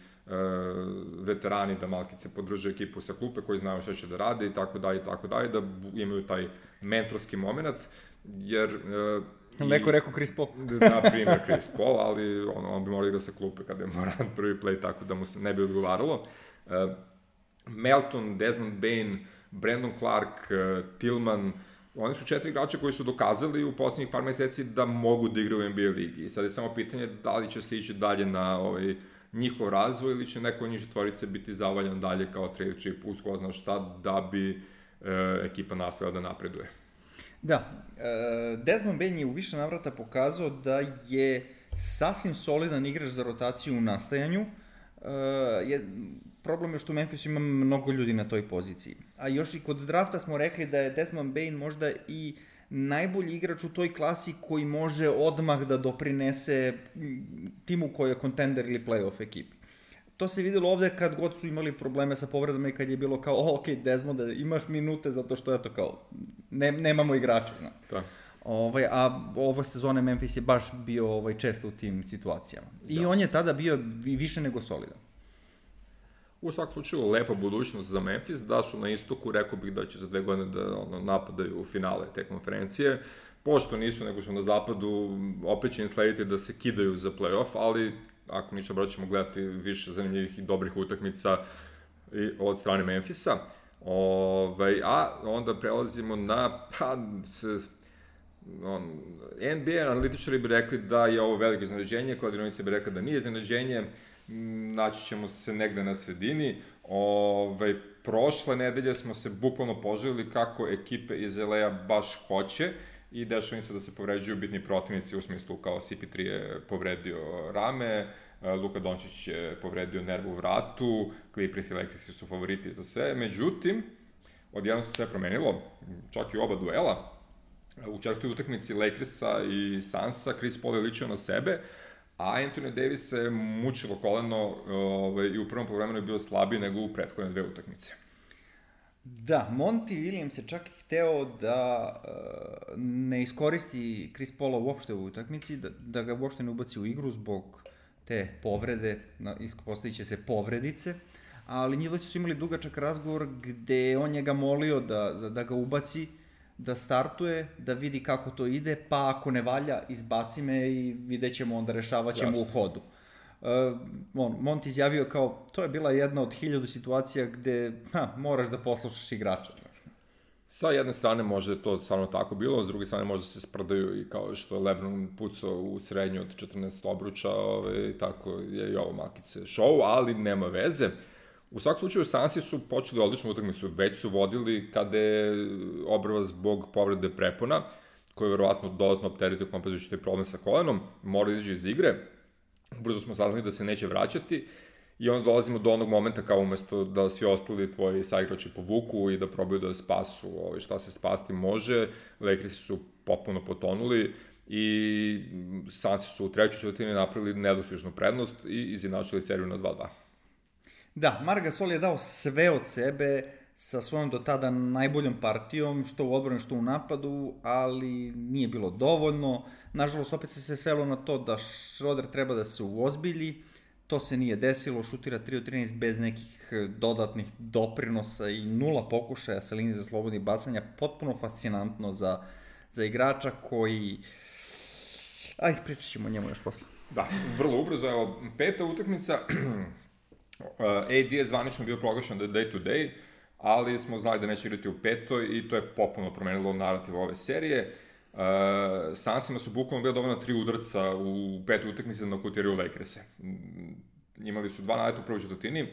veterani da malkice podrže ekipu sa klupe koji znaju šta će da rade i tako dalje i tako dalje, da imaju taj mentorski moment, jer... Uh, Neko rekao Chris Paul. Na primjer Chris Paul, ali on, on bi morao igra sa klupe kada je Morant prvi play, tako da mu se ne bi odgovaralo. Uh, Melton, Desmond Bane, Brandon Clark, uh, Tillman, oni su četiri igrača koji su dokazali u poslednjih par meseci da mogu da igraju u N B A ligi. I sad je samo pitanje da li će se ići dalje na ovaj, njihov razvoj ili će neko od njih četvorice biti zavaljan dalje kao trade chip uz ko zna šta da bi uh, ekipa nastavila da napreduje. Da, Desmond Bane je u više navrata pokazao da je sasvim solidan igrač za rotaciju u nastajanju. Je, problem je što u Memphisu ima mnogo ljudi na toj poziciji. A još i kod drafta smo rekli da je Desmond Bane možda i najbolji igrač u toj klasi koji može odmah da doprinese timu koji je kontender ili playoff ekipi. To se videlo ovde kad god su imali probleme sa povredama i kad je bilo kao, oh, ok, Desmond, imaš minute zato što, eto, kao, ne, nemamo igrača. No. Da. Ovaj, a ove sezone Memphis je baš bio ovaj, često u tim situacijama. I da. On je tada bio više nego solidan. U svakom slučaju, lepa budućnost za Memphis, da su na istoku, rekao bih da će za dve godine da ono, napadaju u finale te konferencije. Pošto nisu, nego su na zapadu, opet će im slediti da se kidaju za playoff, ali ako ništa broj ćemo gledati više zanimljivih i dobrih utakmica od strane Memphisa. Ove, a onda prelazimo na, pa, on, N B A analitičari bi rekli da je ovo veliko iznenađenje, kladionica bi rekla da nije iznenađenje, naći ćemo se negde na sredini. Ove, prošle nedelje smo se bukvalno poželili kako ekipe iz L A baš hoće i dešava im se da se povređuju bitni protivnici u smislu kao C P tri je povredio rame, Luka Dončić je povredio nervu u vratu, Clippers i Lakersi su favoriti za sve, međutim, odjedno se sve promenilo, čak i oba duela. U četvrtoj utakmici Lakersa i Sunsa Chris Paul je ličio na sebe, a Anthony Davis se mučilo koleno ovaj, i u prvom poluvremenu je bio slabiji nego u prethodne dve utakmice. Da, Monty Williams je čak hteo da uh, ne iskoristi Chris Paula uopšte u utakmici, da, da ga uopšte ne ubaci u igru zbog te povrede, ispostavit će se povredice, ali njih su imali dugačak razgovor gde on njega molio da, da, da ga ubaci, da startuje, da vidi kako to ide, pa ako ne valja, izbaci me i vidjet ćemo onda, rešavat ćemo u hodu. Uh, on, Monti izjavio kao, to je bila jedna od hiljadu situacija gde ha, moraš da poslušaš igrača. Sa jedne strane možda je to stvarno tako bilo, s druge strane možda se sprdaju i kao što je LeBron pucao u srednju od četrnaest obruča, ovaj, tako je i ovo malkice show, ali nema veze. U svakom slučaju, Sansi su počeli odličnu utakmicu, već su vodili kada je obrva zbog povrede prepona, koji je verovatno dodatno opteretio kompenzujući taj problem sa kolenom, mora izaći iz igre, brzo smo saznali da se neće vraćati, i onda dolazimo do onog momenta kao umesto da svi ostali tvoji saigrači povuku i da probaju da spasu ovaj, šta se spasti može, Lakersi su popuno potonuli i Sansi su u trećoj četvrtini napravili nedostižnu prednost i izjednačili seriju na dva dva. Da, Marc Gasol je dao sve od sebe sa svojom do tada najboljom partijom, što u odbrani, što u napadu, ali nije bilo dovoljno. Nažalost, opet se sve svelo na to da Schroeder treba da se uozbilji. To se nije desilo, šutira tri od trinaest bez nekih dodatnih doprinosa i nula pokušaja sa linije za slobodnih bacanja. Potpuno fascinantno za, za igrača koji... Ajde, pričat ćemo o njemu još posle. Da, vrlo ubrzo. Evo, peta utakmica... A D je zvanično bio proglašen da je day to day, ali smo znali da neće igrati u petoj i to je popuno promenilo narativ ove serije. Uh, Sansima su bukvalno bila dovoljna tri udarca u petoj utakmici da nokutiraju Lakerse. Imali su dva naleta u prvoj četvrtini,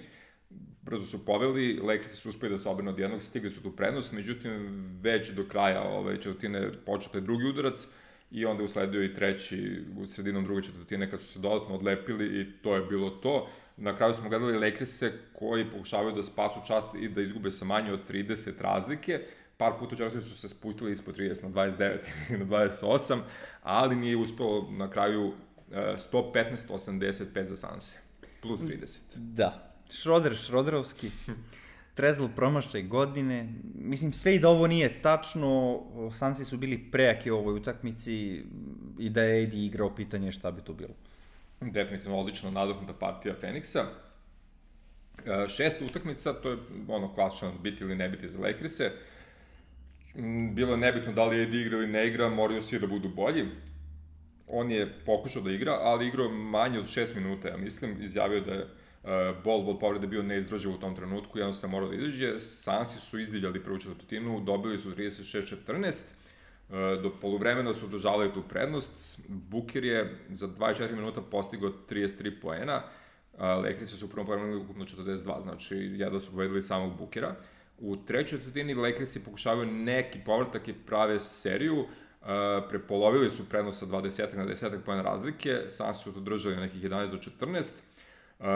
brzo su poveli, Lakersi su uspeli da se obrnu od jednog, stigli su tu prednost, međutim već do kraja ove četvrtine počeo taj drugi udarac i onda je usledio i treći u sredinom druge četvrtine kad su se dodatno odlepili i to je bilo to. Na kraju smo gledali Lakerse koji pokušavaju da spasu čast i da izgube sa manje od trideset razlike. Par puta često su se spustili ispod trideset na dvadeset devet i na dvadeset osam, ali nije uspelo na kraju sto petnaest osamdeset pet za Sanse, plus trideset. Da, Schroeder, Schroederovski, Trezl promašaj godine, mislim sve i da ovo nije tačno, Sansi su bili prejaki u ovoj utakmici i da je A D igrao, pitanje šta bi to bilo. Definitivno odlično nadoknuta partija Feniksa. Šesta utakmica, to je ono klasično biti ili ne biti za Lakerse. Bilo je nebitno da li A D igra ili ne igra, moraju svi da budu bolji. On je pokušao da igra, ali igrao manje od šest minuta, ja mislim, izjavio da je bol od povrede bio neizdrživ u tom trenutku, jednostavno morao da izađe. Sansi su izdivljali prvu četvrtinu, dobili su trideset šest četrnaest, do poluvremena su održavali tu prednost. Booker je za dvadeset četiri minuta postigao trideset tri poena, Lakersi su u prvom poluvremenu ukupno četrdeset dva, znači jedva su povedali samog Bookera. U trećoj četvrtini Lakersi pokušavaju neki povratak i prave seriju, prepolovili su prednost sa dvadeset na deset poena razlike, Sansi su to držali na nekih jedanaest do četrnaest. Uh,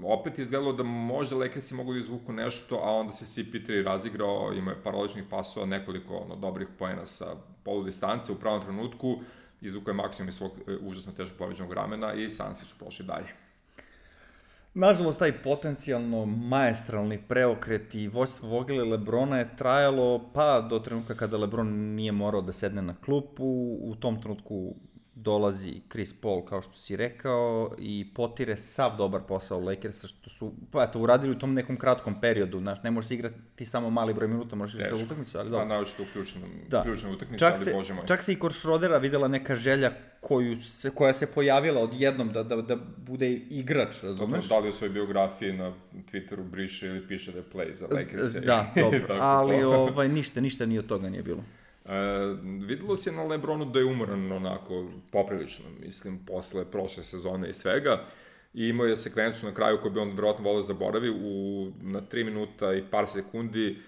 opet je izgledalo da možda Lakersi mogu da izvuku nešto, a onda se C P tri razigrao, imao je par odličnih pasova, nekoliko ono, dobrih poena sa polu distance u pravom trenutku, izvukao je maksimum iz svog e, užasno teškog povređenog ramena i Sansi su prošli dalje. Nažalost, taj potencijalno maestralni preokret i vođstvo Vogela i Lebrona je trajalo pa do trenutka kada Lebron nije morao da sedne na klupu. U tom trenutku dolazi Chris Paul, kao što si rekao, i potire sav dobar posao Lakersa, što su, pa eto, uradili u tom nekom kratkom periodu, znaš, ne možeš se igrati samo mali broj minuta, možeš igrati sa utakmicu, ali dobro. A naočito u ključnom, da. ključnom utakmicu, čak ali se, bože moj. Čak se i kod Schroedera videla neka želja koju se, koja se pojavila odjednom da, da, da bude igrač, razumeš? Da li u svojoj biografiji na Twitteru briše ili piše da je play za Lakersa. Da, dobro, ali ovaj, ništa, ništa ni od toga nije bilo. E, videlo se na Lebronu da je umoran onako poprilično, mislim, posle prošle sezone i svega, i imao je sekvencu na kraju koju bi on verovatno volio zaboravi, u, na tri minuta i par sekundi, e,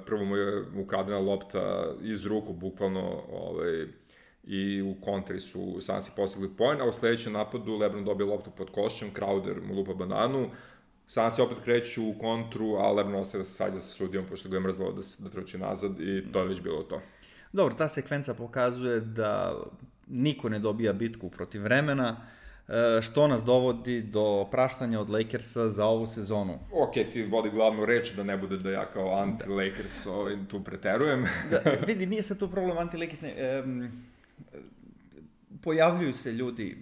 prvo mu je ukradena lopta iz ruku, bukvalno, ovaj, i u kontri su Sansi postigli poen, a u sledećem napadu Lebron dobije loptu pod košem, Crowder mu lupa bananu, Sansi opet kreću u kontru, a Lebron ostaje da se sađa sa sudijom, pošto ga je mrzalo da, da trči nazad i to je već bilo to. Dobro, ta sekvenca pokazuje da niko ne dobija bitku protiv vremena, što nas dovodi do praštanja od Lakersa za ovu sezonu. Ok, ti vodi glavnu reč da ne bude da ja kao anti-Lakers ovaj, tu preterujem. Da, vidi, nije sad tu problem anti-Lakers, ne, um, pojavljuju se ljudi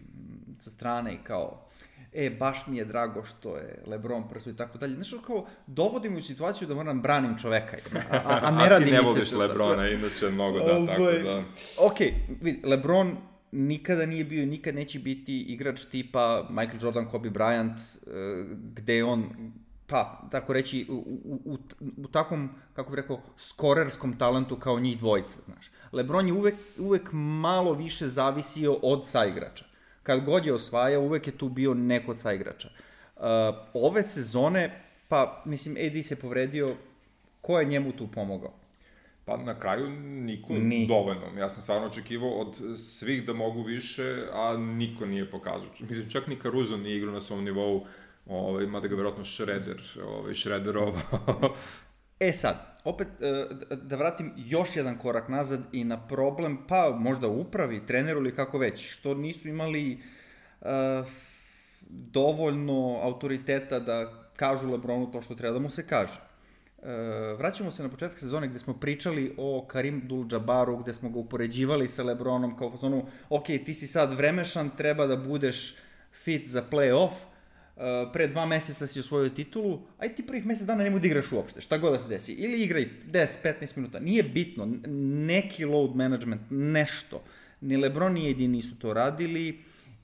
sa strane i kao e, baš mi je drago što je LeBron prso i tako dalje. Znaš, kao, dovodim u situaciju da moram branim čoveka, a, a, a ne radi mi se... A ti ne voliš LeBrona, da, inače mnogo da, tako da... Ok, vidi, LeBron nikada nije bio i nikad neće biti igrač tipa Michael Jordan, Kobe Bryant, gde on, pa, tako reći, u, u, u, u takvom, kako bih rekao, skorerskom talentu kao njih dvojica, znaš. LeBron je uvek, uvek malo više zavisio od saigrača. Kad god je osvajao, uvek je tu bio neko od saigrača. Uh, ove sezone, pa, mislim, A D se povredio, ko je njemu tu pomogao? Pa na kraju niko Ni. dovoljno. Ja sam stvarno očekivao od svih da mogu više, a niko nije pokazao. Mislim, čak ni Caruso nije igrao na svom nivou, ovaj, mada ga vjerojatno Šreder, ovaj, Šrederova. E sad, opet da vratim još jedan korak nazad i na problem, pa možda upravi, treneru ili kako već, što nisu imali uh, dovoljno autoriteta da kažu LeBronu to što treba da mu se kaže. Uh, vraćamo se na početak sezone gde smo pričali o Karim Abdul-Jabbaru, gde smo ga upoređivali sa LeBronom kao fazonu, ok, ti si sad vremešan, treba da budeš fit za play-off, uh, pre dva meseca si osvojio titulu, aj ti prvih mesec dana nemoj da igraš uopšte, šta god da se desi, ili igraj deset do petnaest minuta, nije bitno, neki load management, nešto, ni LeBron ni A D nisu to radili,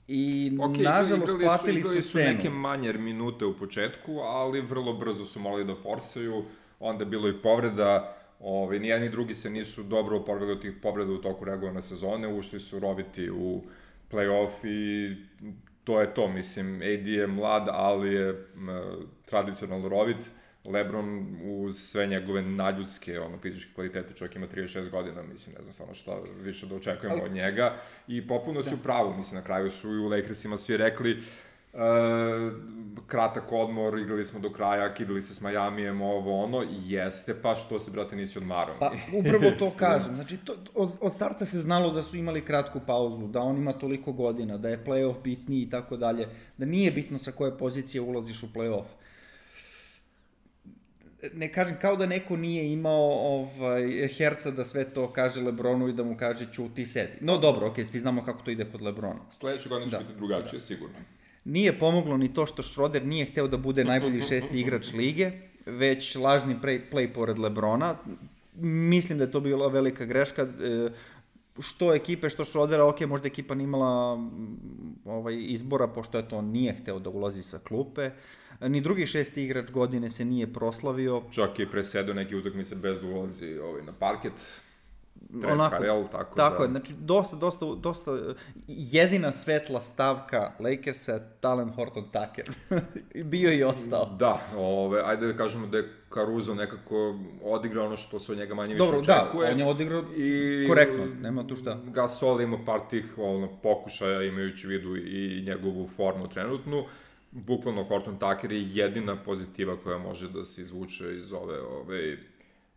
i okay, nažalost platili su, su cenu. Igrali su neke manje minute u početku, ali vrlo brzo su morali da forsaju, onda je bilo i povreda, ovaj, ni jedan ni drugi se nisu dobro oporavili od tih povreda u toku regularne sezone, ušli su roviti u play-off i to je to, mislim, A D je mlad, ali je m, tradicionalno rovit, LeBron uz sve njegove naljudske, ono, fizičke kvalitete, čovjek ima trideset šest godina, mislim, ne znam stvarno šta više da očekujemo ali... od njega, i popuno su u pravu, mislim, na kraju su i u Lakersima svi rekli, Uh, kratak odmor, igrali smo do kraja, kidali se s Majamijem, ovo ono, jeste, pa što se, brate, nisi odmarao? Pa, upravo to kažem, znači, to, od, od starta se znalo da su imali kratku pauzu, da on ima toliko godina, da je play-off bitniji i tako dalje, da nije bitno sa koje pozicije ulaziš u play-off. Ne kažem, kao da neko nije imao ovaj, herca da sve to kaže LeBronu i da mu kaže ćuti, sedi. No dobro, okej, okay, svi znamo kako to ide kod LeBrona. Sledeće godine će da. biti drugačije, da. sigurno. Nije pomoglo ni to što Schroeder nije hteo da bude najbolji šesti igrač lige, već lažni play, play pored LeBrona. Mislim da je to bila velika greška. Što ekipe, što Schroedera, ok, možda ekipa nije imala ovaj, izbora, pošto je to nije hteo da ulazi sa klupe. Ni drugi šesti igrač godine se nije proslavio. Čak i presedio neki utakmice bez da ulazi ovaj, na parket. Harrell, tako, tako da... je, znači dosta, dosta, dosta, jedina svetla stavka Lakersa je talent Horton Tucker. Bio i ostao. Da, ove, ajde da kažemo da je Caruso nekako odigrao ono što se od njega manje više Dobro, očekuje. Dobro, da, on je odigrao i korektno, nema tu šta. Gasol ima par tih ono, pokušaja, imajući vidu i njegovu formu trenutnu. Bukvalno Horton Tucker je jedina pozitiva koja može da se izvuče iz ove... ove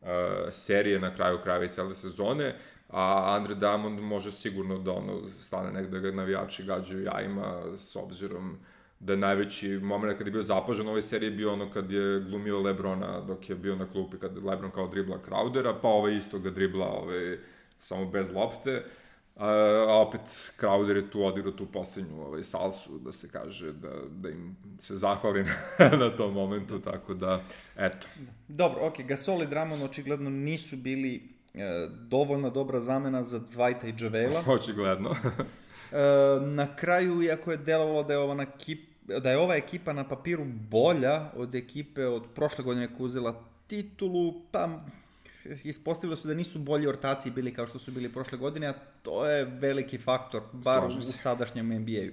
Uh, serije na kraju krajeva i cele sezone, a Andre Drummond može sigurno da ono stane negde da ga navijači gađaju jajima, s obzirom da je najveći moment kad je bio zapažen u ovoj seriji bio ono kad je glumio LeBrona dok je bio na klupi, kad LeBron kao dribla Crowdera, pa ovaj isto ga dribla ovaj, samo bez lopte, a, a opet Crowder je tu odigrao tu poslednju ovaj, salsu, da se kaže, da, da im se zahvali na, na tom momentu, tako da, eto. Dobro, ok, Gasol i Drummond očigledno nisu bili e, dovoljno dobra zamena za Dwighta i JaVale-a. Očigledno. e, na kraju, iako je delovalo da je ova ekip, da je ova ekipa na papiru bolja od ekipe od prošle godine koja uzela titulu, pa ispostavilo su da nisu bolji ortaci bili kao što su bili prošle godine, a to je veliki faktor, bar u sadašnjem N B A-u.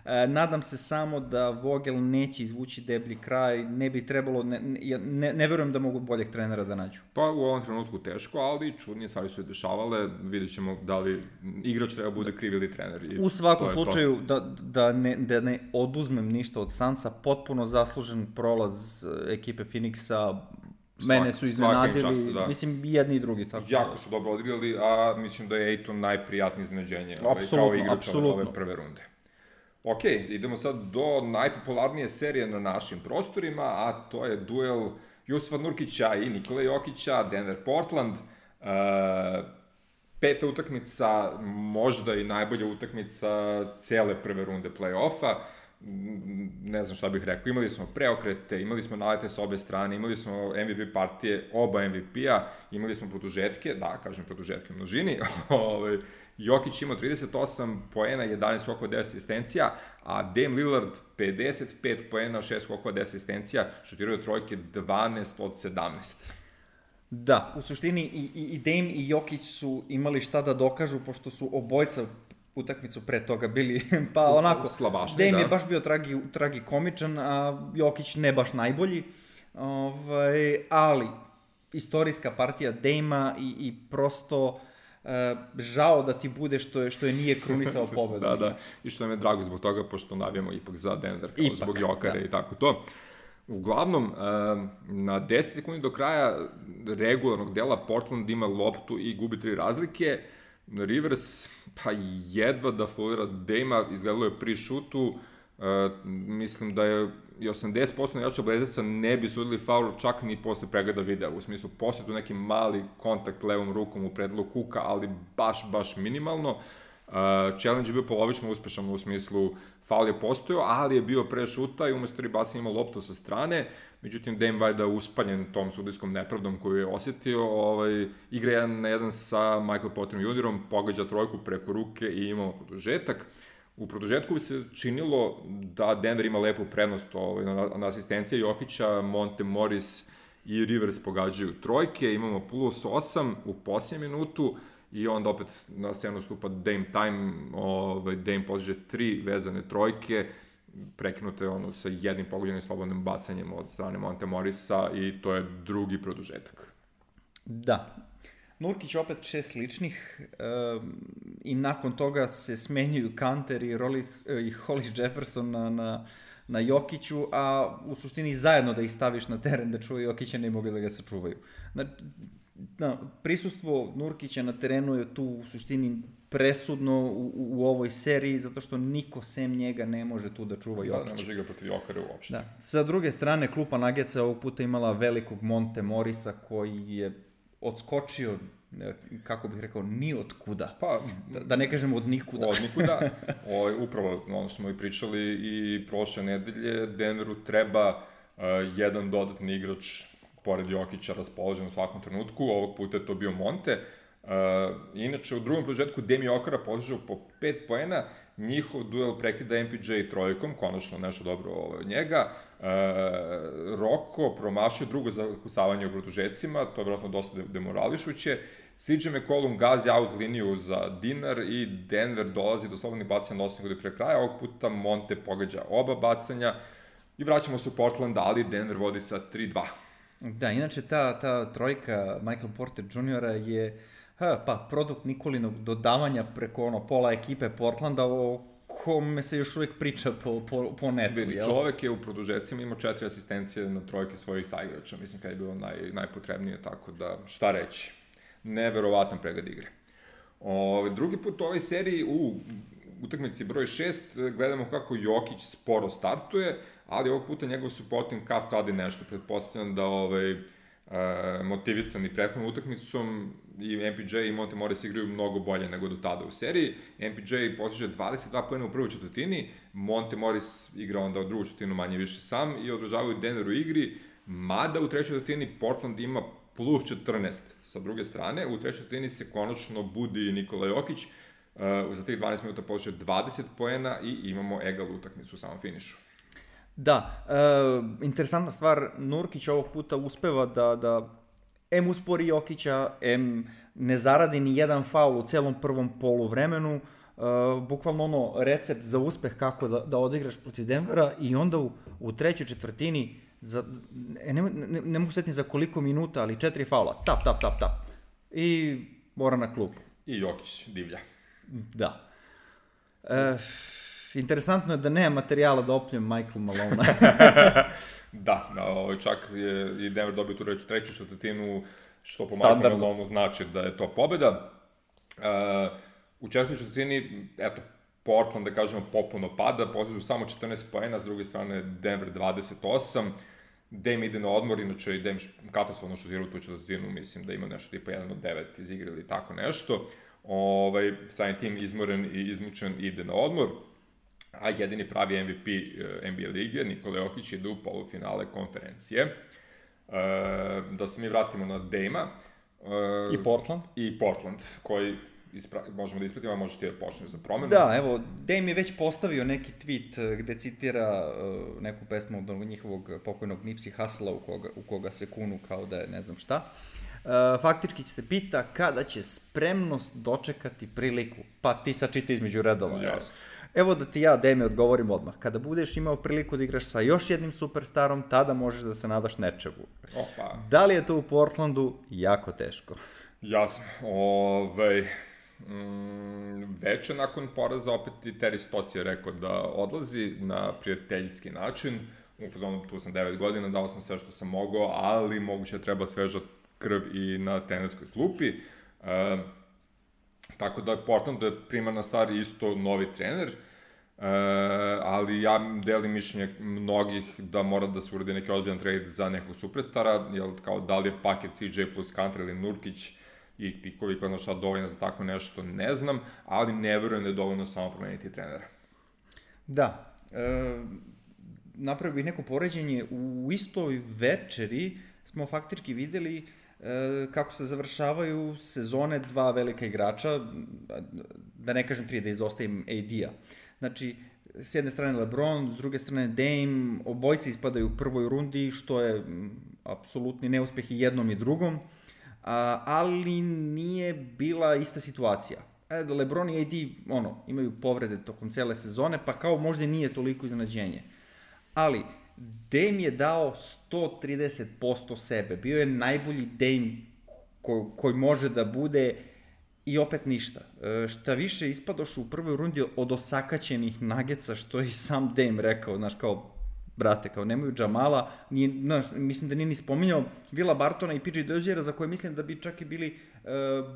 E, nadam se samo da Vogel neće izvući deblji kraj, ne bi trebalo, ne, ne, ne verujem da mogu boljeg trenera da nađu. Pa u ovom trenutku teško, ali čudnije stvari su i dešavale, vidjet ćemo da li igrač treba bude kriv ili trener. I u svakom slučaju, da, da, ne, da ne oduzmem ništa od Sansa, potpuno zaslužen prolaz ekipe Phoenixa. Mene su iznenadili, čast, da. Mislim, jedni i drugi. Tako jako da. su dobro odigrali, a mislim da je Ayton najprijatnije iznenađenje ovaj, kao igrač ove prve runde. Ok, idemo sad do najpopularnije serije na našim prostorima, a to je duel Jusufa Nurkića i Nikola Jokića, Denver-Portland. Uh, peta utakmica, možda i najbolja utakmica cele prve runde play-offa. ne znam šta bih rekao, imali smo preokrete, imali smo nalete s obe strane, imali smo M V P partije, oba M V P-a, imali smo produžetke, da, kažem produžetke u množini, Jokić imao trideset osam poena, jedanaest skokova, deset asistencija, a Dame Lillard pedeset pet poena, šest skokova, deset asistencija, šutirao trojke dvanaest od sedamnaest. Da, u suštini i, i, i Dame i Jokić su imali šta da dokažu, pošto su obojca utakmicu pre toga bili, pa onako, Slabašni, Dame da. je baš bio tragi, tragikomičan, a Jokić ne baš najbolji, ovaj, ali istorijska partija Dame-a i, i prosto uh, žao da ti bude što je, što je nije krunisao pobedu. Da, da, i što nam je drago zbog toga, pošto navijamo ipak za Denver, kao Ipak, zbog Jokara da. i tako to. Uglavnom, na deset sekundi do kraja regularnog dela Portland ima loptu i gubi tri razlike. Rivers, pa jedva da folira Dame-a, izgledalo je pri šutu. Mislim da je i osamdeset posto igrača Blazersa ne bi sudili faul čak ni posle pregleda videa. U smislu, posle tu neki mali kontakt levom rukom u predelu Kuka, ali baš, baš minimalno. Uh, challenge je bio polovično uspešan u smislu faul je postojao, ali je bio pre šuta i umesto ribasa imao loptu sa strane, međutim Dame Vajda uspaljen tom sudijskom nepravdom koju je osetio, ovaj, igra jedan na jedan sa Michael Porterom juniorom, pogađa trojku preko ruke i imamo produžetak. U produžetku bi se činilo da Denver ima lepu prednost ovaj, na, na asistencije Jokića, Monte Morris i Rivers pogađaju trojke, imamo plus osam u posljednjem minutu, i onda opet na scenu stupa Dame time, ovaj, Dame postiže tri vezane trojke, prekinute ono sa jednim pogođenim slobodnim bacanjem od strane Monte Morrisa i to je drugi produžetak. Da. Nurkić opet šest ličnih um, i nakon toga se smenjuju Kanter i, Rollis, i Hollis Jefferson na, na, na Jokiću, a u suštini zajedno da ih staviš na teren da čuvaju Jokića ne mogli da ga sačuvaju. Znači, da, prisustvo Nurkića na terenu je tu u suštini presudno u, u ovoj seriji, zato što niko sem njega ne može tu da čuva Jokića. Da, ne može igra protiv Jokara uopšte. Da. Sa druge strane, klupa Nuggetsa ovog puta imala velikog Monte Morrisa koji je odskočio, kako bih rekao, ni od kuda. Pa, da, da ne kažemo od nikuda. Od nikuda. O, upravo, ono smo i pričali i prošle nedelje, Denveru treba uh, jedan dodatni igrač pored Jokića raspoložen u svakom trenutku, ovog puta je to bio Monte. Uh, inače, u drugom produžetku Demi Jokara podižao po pet poena, njihov duel prekida M P J trojkom, konačno nešto dobro od njega. Uh, Roko promašio drugo zakusavanje u produžecima, to je vjerojatno dosta demorališuće. C J McCollum gazi out liniju za dinar i Denver dolazi do slobodnih bacanja na osam sekundi pre kraja, ovog puta Monte pogađa oba bacanja i vraćamo se u Portland, ali Denver vodi sa tri dva. Da, inače ta, ta trojka Michael Porter juniora je ha, pa, produkt Nikolinog dodavanja preko ono, pola ekipe Portlanda o kome se još uvijek priča po, po, po netu. Vidi, jel? Čovek je u produžecima imao četiri asistencije na trojke svojih saigrača, mislim kada je bilo naj, najpotrebnije, tako da šta reći. Neverovatan pregled igre. O, drugi put u ovoj seriji u utakmici broj šest gledamo kako Jokić sporo startuje, ali ovog puta njegov supporting cast radi nešto. Pretpostavljam da ovaj, e, motivisani prethodnom utakmicom i M P J i Monte Morris igraju mnogo bolje nego do tada u seriji. M P J postiže dvadeset dva poena u prvoj četvrtini, Monte Morris igra onda u drugu četvrtinu manje više sam i održavaju Denver u igri, mada u trećoj četvrtini Portland ima plus četrnaest sa druge strane. U trećoj četvrtini se konačno budi Nikola Jokić, uh, za tih dvanaest minuta postiže dvadeset poena i imamo egal utakmicu u samom finišu. Da, e, interesantna stvar, Nurkić ovog puta uspeva da, da em uspori Jokića, em ne zaradi ni jedan faul u celom prvom poluvremenu, e, bukvalno ono recept za uspeh kako da, da odigraš protiv Denvera i onda u, u trećoj četvrtini za, ne, ne, ne mogu setiti za koliko minuta, ali četiri faula, tap, tap, tap, tap i mora na klupu. I Jokić divlja. Da. E, Interesantno je da nema materijala da opljem Michael Malone. Da, čak je i Denver dobio tu treću četvrtinu, što po Standardno. Michael Malone znači da je to pobeda. Uh, u četvrtoj četvrtini, eto, Portland, da kažemo, popuno pada, postižu samo četrnaest poena, s druge strane Denver dvadeset osam. Dame ide na odmor, inače i Dame katastrofalno šutira u tu četvrtinu, mislim da ima nešto tipa jedan od devet iz igre ili tako nešto. Ovaj, samim tim izmoren i izmučen ide na odmor. Uh, a jedini pravi M V P N B A lige, Nikola Jokić, ide u polufinale konferencije. E, da se mi vratimo na Dame-a. E, I Portland. I Portland, koji ispra... možemo da ispratimo, a možeš ti da počneš za promenu. Da, evo, Dame je već postavio neki tweet gde citira uh, neku pesmu od njihovog pokojnog Nipsey Hussle-a u koga, u koga se kunu kao da je ne znam šta. Uh, faktički se pita kada će spremnost dočekati priliku. Pa ti sačita između redova. Jasno. Evo da ti ja, Dame, odgovorim odmah. Kada budeš imao priliku da igraš sa još jednim superstarom, tada možeš da se nadaš nečemu. Opa. Da li je to u Portlandu? Jako teško. Jasno. Ove, mm, veče nakon poraza opet i Terry Stotts je rekao da odlazi na prijateljski način. U fazonu tu sam devet godina, dao sam sve što sam mogao, ali moguće treba sveža krv i na trenerskoj klupi. E, tako da Portlandu je primarna stvar isto novi trener, e, ali ja delim mišljenje mnogih da mora da se uradi neki ozbiljan trade za nekog superstara, jer kao da li je paket C J plus Kanter ili Nurkić i pikovi koja šta dovoljno za tako nešto, ne znam, ali ne verujem da je dovoljno samo promeniti trenera. Da, e, napravio bih neko poređenje, u istoj večeri smo faktički videli e, kako se završavaju sezone dva velika igrača, da ne kažem tri, da izostavim A D-a. Znači, s jedne strane LeBron, s druge strane Dame, obojci ispadaju u prvoj rundi, što je apsolutni neuspeh i jednom i drugom, a, ali nije bila ista situacija. E, LeBron i A D, ono, imaju povrede tokom cele sezone, pa kao možda nije toliko iznenađenje. Ali, Dame je dao sto trideset posto sebe. Bio je najbolji Dame ko, koji može da bude i opet ništa. E, šta više, ispadoš u prvoj rundi od osakaćenih Nuggetsa, što je i sam Dame rekao, znaš, kao, brate, kao nemaju Jamala, nije, znaš, mislim da nije ni spominjao Willa Bartona i P J Doziera, za koje mislim da bi čak i bili e,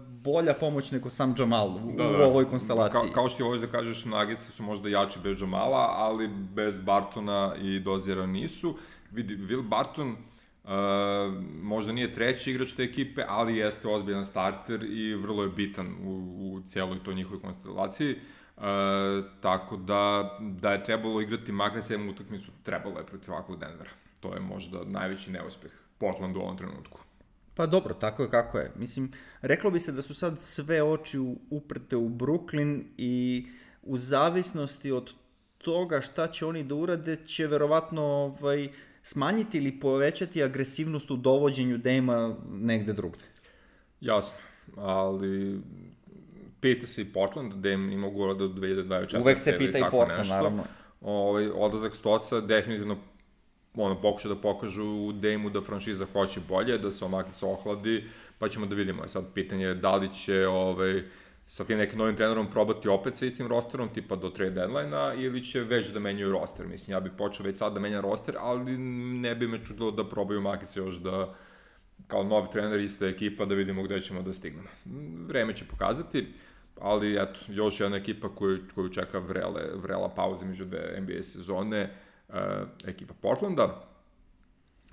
bolja pomoć nego sam Jamal u, da, da. u ovoj konstelaciji. Ka, kao što je ovo da kažeš, Nuggetsi su možda jači bez Jamala, ali bez Bartona i Doziera nisu. Vidi, Will Barton uh, možda nije treći igrač te ekipe, ali jeste ozbiljan starter i vrlo je bitan u, u cijeloj toj njihovoj konstelaciji. Uh, tako da, da je trebalo igrati makar sedam utakmicu, trebalo je protiv ovakvog Denvera. To je možda najveći neuspeh Portlandu u ovom trenutku. Pa dobro, tako je kako je. Mislim, reklo bi se da su sad sve oči uprte u Brooklyn i u zavisnosti od toga šta će oni da urade, će verovatno ovaj, smanjiti ili povećati agresivnost u dovođenju Dame-a negde drugde. Jasno, ali pita se i Portland, Dame ima ugovor do dve hiljade dvadeset četvrte. Uvek se pita i Portland, nešto. Naravno. Ovaj, odlazak Stoca definitivno ono, pokuša da pokažu u Dame-u da franšiza hoće bolje, da se omaki se ohladi, pa ćemo da vidimo. Sad pitanje je da li će ovaj, sa tim nekim novim trenerom probati opet sa istim rosterom, tipa do trade deadline-a, ili će već da menjaju roster. Mislim, ja bih počeo već sad da menja roster, ali ne bi me čudilo da probaju omaki se još da kao novi trener, ista ekipa, da vidimo gde ćemo da stignemo. Vreme će pokazati, ali eto, još jedna ekipa koju, koju čeka vrele, vrela pauza među dve N B A sezone, uh, ekipa Portlanda.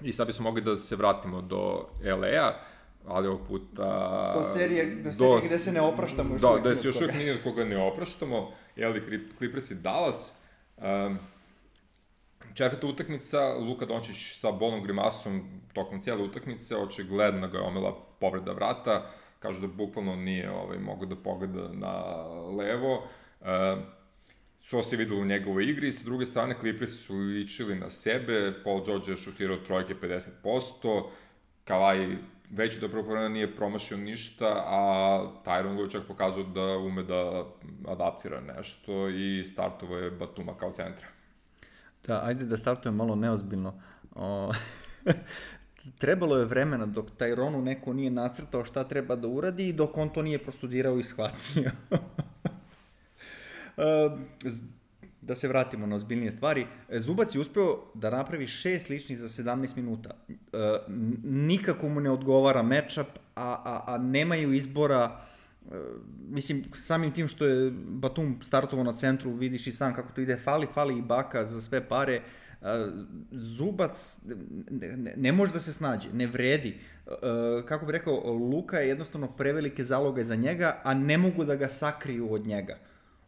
I sad bismo mogli da se vratimo do L A-a, ali ovog puta... Do serije, do serije do, gde se ne opraštamo još da, uvijek. Da, da se još uvijek nije od koga ne opraštamo. L A Clippers i Dallas. Um, Četvrta utakmica, Luka Dončić sa bolnom grimasom tokom cijele utakmice, očigledno ga je omela povreda vrata, kažu da bukvalno nije ovaj, mogo da pogleda na levo. E, so se videlo u njegovoj igri, sa druge strane Clippers su ličili na sebe, Paul George je šutirao trojke pedeset posto, Kawhi već dobro povremena nije promašio ništa, a Tyronn Lue čak pokazao da ume da adaptira nešto i startovo je Batuma kao centra. Da, ajde da startujem malo neozbiljno. O, trebalo je vremena dok Tyronu neko nije nacrtao šta treba da uradi i dok on to nije prostudirao i shvatio. Da se vratimo na ozbiljnije stvari. Zubac je uspeo da napravi šest ličnih za sedamnaest minuta. Nikako mu ne odgovara matchup, a, a, a nemaju izbora. Mislim, samim tim što je Batum startovao na centru, vidiš i sam kako to ide, fali, fali i Baka za sve pare. Zubac ne, ne može da se snađe, ne vredi. Kako bih rekao, Luka je jednostavno prevelike zaloge za njega, a ne mogu da ga sakriju od njega.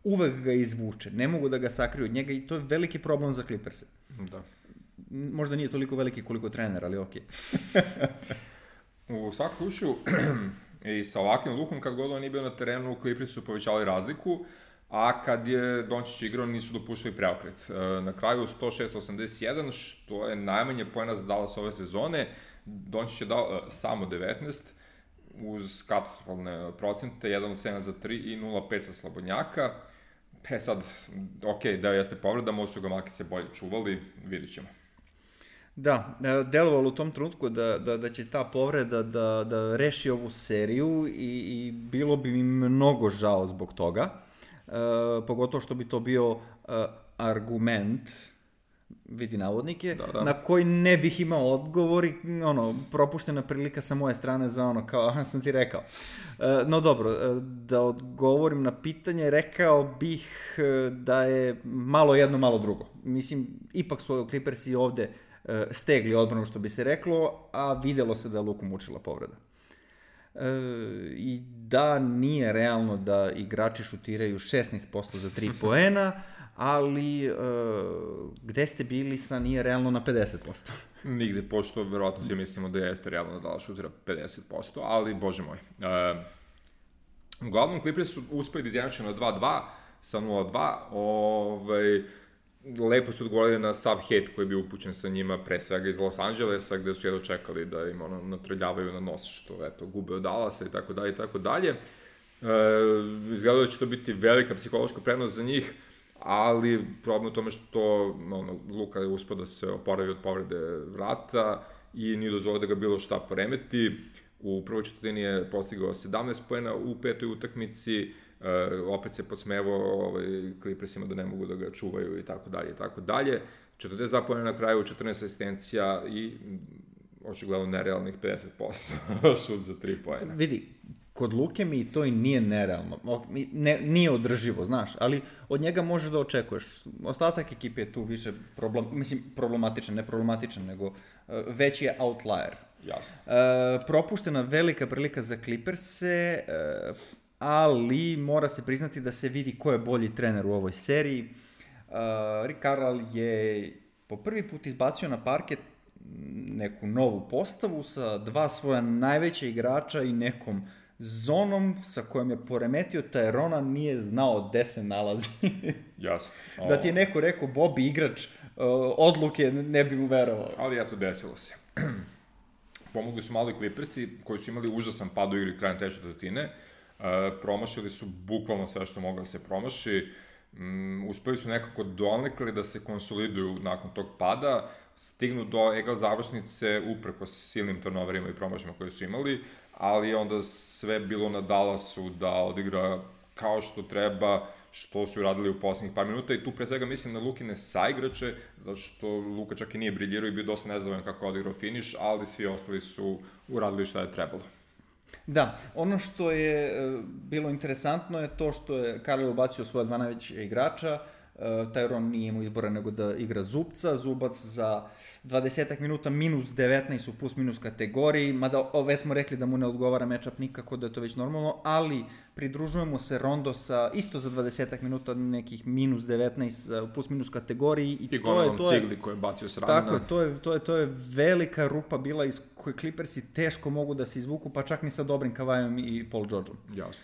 uvek ga izvuče, ne mogu da ga sakriju od njega i to je veliki problem za Clippers. Da. Možda nije toliko veliki koliko trener, ali okej. U svakom slučaju, i sa ovakvim lukom, kad god on nije bio na terenu, Clippers su povećali razliku, a kad je Dončić igrao, nisu dopuštali preokret. Na kraju sto šest osamdeset jedan, što je najmanje poena za Dallas ove sezone, Dončić je dao samo devetnaest, uz katastrofalne procente, jedan od sedam za tri i nula pet sa slobodnjaka. E sad, ok, da jeste povreda, možda su ga Maki se bolje čuvali, vidit ćemo. Da, delovalo u tom trenutku da, da, da će ta povreda da, da reši ovu seriju i, i bilo bi mi mnogo žao zbog toga, e, pogotovo što bi to bio e, argument, vidi navodnike, da, da. na koji ne bih imao odgovor i ono, propuštena prilika sa moje strane za ono, kao sam ti rekao. E, no dobro, da odgovorim na pitanje, rekao bih da je malo jedno, malo drugo. Mislim, ipak su Clippersi ovde stegli odbranu, što bi se reklo, a videlo se da je Luku mučila povreda. E, I da nije realno da igrači šutiraju šesnaest posto za tri poena, ali e, gde ste bili sa nije realno na pedeset posto? Nigde, pošto verovatno svi mislimo da je realno da Dallas šutira pedeset posto, ali bože moj. E, uglavnom, Clippers su uspeli da izjednače na dva dva sa nula dva, ovaj, lepo su odgovorili na sav hejt koji je bio upućen sa njima, pre svega iz Los Angelesa, gde su jedno čekali da im ono, natrljavaju na nos, što eto, gube od Dallasa i tako dalje i tako dalje. E, izgledalo da će to biti velika psihološka prednost za njih, ali problem u tome što ono, Luka je uspio da se oporavi od povrede vrata i nije dozvolio da ga bilo šta poremeti. U prvoj četvrtini je postigao sedamnaest poena u petoj utakmici, Uh, opet se podsmevao ovaj, Clippersima da ne mogu da ga čuvaju i tako dalje i tako dalje. četrdeset dva poena na kraju, četrnaest asistencija i očigledno nerealnih pedeset posto šut za tri poena. Vidi, kod Luke mi to i nije nerealno, ne, nije održivo, znaš, ali od njega možeš da očekuješ. Ostatak ekipe je tu više problem, mislim, problematičan, ne problematičan, nego uh, veći je outlier. Jasno. Uh, propuštena velika prilika za Clippers-e, uh, ali mora se priznati da se vidi ko je bolji trener u ovoj seriji. Uh, Rick Carlisle je po prvi put izbacio na parket neku novu postavu sa dva svoja najveća igrača i nekom zonom sa kojom je poremetio Tyrona, nije znao gde se nalazi. Jasno. O... Da ti je neko rekao Bobby igrač uh, odluke, ne bi mu verovao. Ali eto, desilo se. Pomogli su malo i Clippersi, koji su imali užasan pad u igri krajem treće četvrtine. Uh, promašili su bukvalno sve što moglo da se promaši, um, uspeli su nekako donekle da se konsoliduju nakon tog pada, stignu do egal završnice upreko silnim turnoverima i promašima koje su imali, ali onda sve bilo na Dallasu da odigra kao što treba, što su uradili u poslednjih par minuta i tu pre svega mislim na Lukine saigrače, zato što Luka čak i nije briljirao i bio dosta nezadovoljan kako je odigrao finiš, ali svi ostali su uradili šta je trebalo. Da, ono što je bilo interesantno je to što je Carlisle ubacio svoja dva najveća igrača, Tyron nije imao izbora nego da igra Zubca, Zubac za dvadesetak minuta minus devetnaest u plus minus kategoriji, mada već smo rekli da mu ne odgovara matchup nikako, da je to već normalno, ali pridružujemo se Rondo sa isto za dvadesetak minuta nekih minus devetnaest u plus minus kategoriji i, I to je to je Cigli koji je bacio s ramena. Tako je, to je to je to je velika rupa bila iz koje Clippersi teško mogu da se izvuku, pa čak ni sa dobrim Kavajom i Paul Georgeom. Jasno.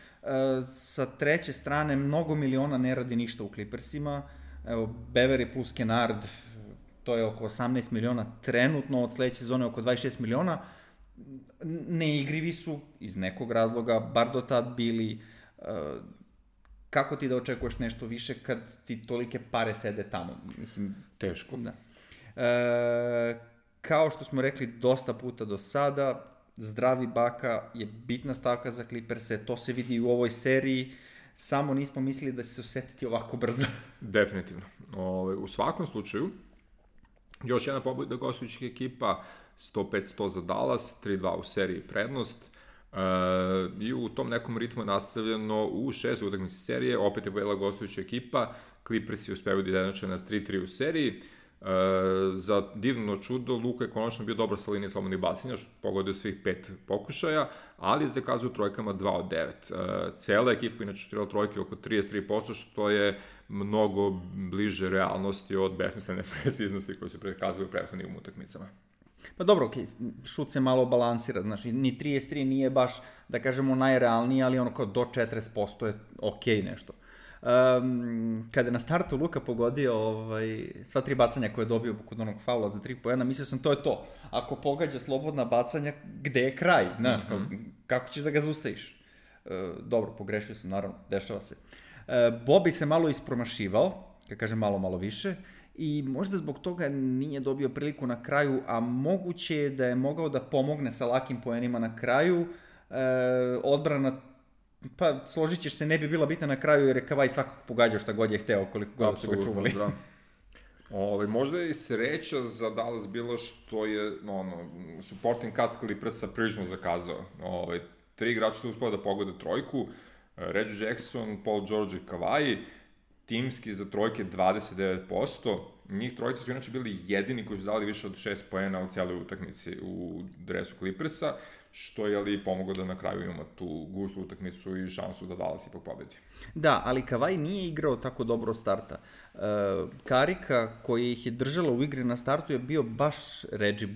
Sa treće strane, mnogo miliona ne radi ništa u Clippersima. Evo, Beverly plus Kennard, to je oko osamnaest miliona trenutno, od sledeće sezone oko dvadeset šest miliona. Neigrivi su iz nekog razloga, bar do tad bili. Kako ti da očekuješ nešto više kad ti tolike pare sede tamo? Mislim, teško. Da. E, kao što smo rekli dosta puta do sada, zdravi Baka je bitna stavka za Clippers-e, to se vidi u ovoj seriji, samo nismo mislili da će se osetiti ovako brzo. Definitivno. Ove, u svakom slučaju, još jedna pobjeda gostujućih ekipa, sto pet sto za Dallas, tri dva u seriji prednost, e, i u tom nekom ritmu je nastavljeno u šest utakmici serije, opet je pobjedila gostujuća ekipa, Clippers je uspevaju da izjednače na tri tri u seriji. E, za divno čudo, Luka je konačno bio dobar sa linije slobodnih bacanja, što pogodio svih pet pokušaja, ali zakazuje trojkama dva od devet. E, cela ekipa inače šutirala trojke oko trideset tri posto, što je mnogo bliže realnosti od besmislene preciznosti koje se prikazali u prethodnim utakmicama. Pa dobro, okej, okay, šut se malo balansira, znači ni trideset tri nije baš, da kažemo, najrealniji, ali ono kao do četrdeset posto je okej okay nešto. Um, kada je na startu Luka pogodio ovaj, sva tri bacanja koje je dobio kod onog faula za tri poena, mislio sam to je to. Ako pogađa slobodna bacanja, gde je kraj? Znaš, mm-hmm. kako ćeš da ga zaustaviš? Uh, dobro, pogrešio sam, naravno, dešava se. Uh, Bobby se malo ispromašivao, kad kažem malo, malo više, i možda zbog toga nije dobio priliku na kraju, a moguće je da je mogao da pomogne sa lakim poenima na kraju. Uh, odbrana pa složit ćeš se, ne bi bila bitna na kraju jer je Kavaj svakako pogađao šta god je hteo, koliko god su ga čuvali. Da. Ove, možda je i sreća za Dallas bilo što je ono, supporting cast Clippersa prilično zakazao. Ove, tri igrača su uspeli da pogode trojku, Reggie Jackson, Paul George i Kavaj, timski za trojke dvadeset devet posto. Njih trojica su inače bili jedini koji su dali više od šest poena u cijeloj utakmici u dresu Clippersa, što je ali pomoglo da na kraju imamo tu gustu utakmicu i šansu da Dallas ipak pobedi. Da, ali Kavaj nije igrao tako dobro od starta. Uh, Karika koji ih je držala u igri na startu je bio baš Reggie,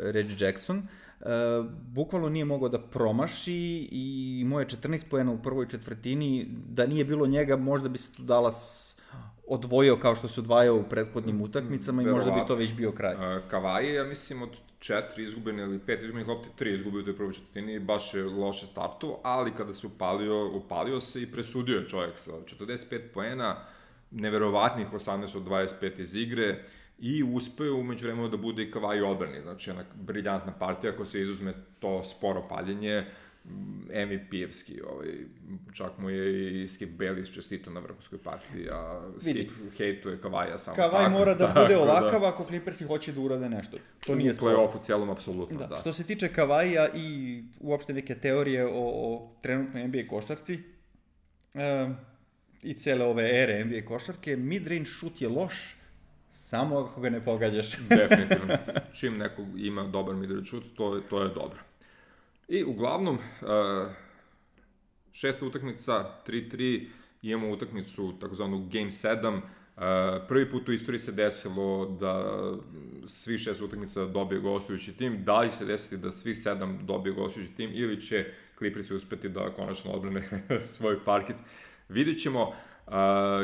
Reggie Jackson. Uh, bukvalno nije mogao da promaši i imao je četrnaest poena u prvoj četvrtini. Da nije bilo njega, možda bi se tu Dallas odvojio kao što se odvajao u prethodnim utakmicama i možda bi to već bio kraj. Uh, Kavaj je, ja mislim, od četiri izgubene ili pet izgubenih lopti, tri izgubio u toj prvoj četvrtini, baš je loše startao, ali kada se upalio, upalio se i presudio je čovjek sa četrdeset pet poena, neverovatnih osamnaest od dvadeset pet iz igre i uspeo umeđu vremenu da bude i Kavaj u odbrani. Znači, jedna briljantna partija, ako se izuzme to sporo paljenje, M V P-evski, ovaj, čak mu je i Skip Bayless čestito na vrhunskoj partiji, a Skip hejtuje Kavaja samo Kavaj tako. Kavaj mora da bude ovakav da. Ako Clippersi hoće da urade nešto. To nije u play-offu cijelom, apsolutno, da. da. Što se tiče Kavaja i uopšte neke teorije o, o trenutnoj N B A košarci e, i cele ove ere N B A košarke, mid-range šut je loš, samo ako ga ne pogađaš. Definitivno. Čim neko ima dobar mid-range šut, to, to je dobro. I uglavnom, uh, šesta utakmica, tri tri, imamo utakmicu takozvanu Game sedam. Uh, prvi put u istoriji se desilo da svi šest utakmica dobije gostujući tim. Da li se desiti da svi sedam dobije gostujući tim ili će Clippersi uspeti da konačno odbrane svoj parket. Vidjet ćemo uh,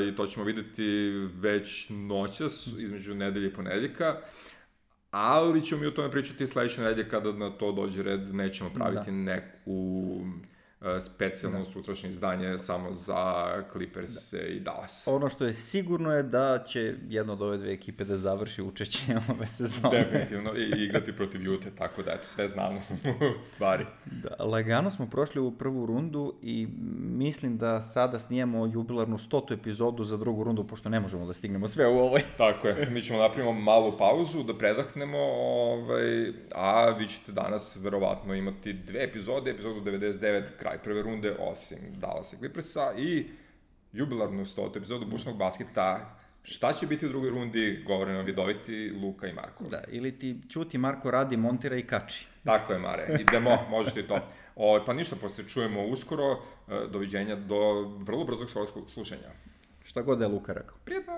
i to ćemo videti već noćas između nedelje i ponedeljka. Ali ćemo mi o tome pričati sledeće nedelje kada na to dođe red, nećemo praviti da. neku uh, specijalno da. sutrašnje izdanje samo za Clippers da. i Dallas. Ono što je sigurno je da će jedna od ove dve ekipe da završi učešće ove sezone. Definitivno, i igrati protiv Ute, tako da eto, sve znamo stvari. Da, lagano smo prošli u prvu rundu i mislim da sada snijemo jubilarnu stotu epizodu za drugu rundu, pošto ne možemo da stignemo sve u ovoj. Tako je, mi ćemo napravimo malu pauzu da predahnemo, ovaj, a vi ćete danas verovatno imati dve epizode, epizodu devedeset devet, kraj prve runde, osim Dallasa i Clippersa, i jubilarnu stotu epizodu bušnog basketa. Šta će biti u drugoj rundi, govore nam vidoviti Luka i Marko. Da, ili ti Ćuti, Marko radi, montira i kači. Tako je, Mare, idemo, možeš ti to. O, pa ništa, posle čujemo uskoro, doviđenja do vrlo brzog slušanja. Šta god je Luka rekao. Prijetno!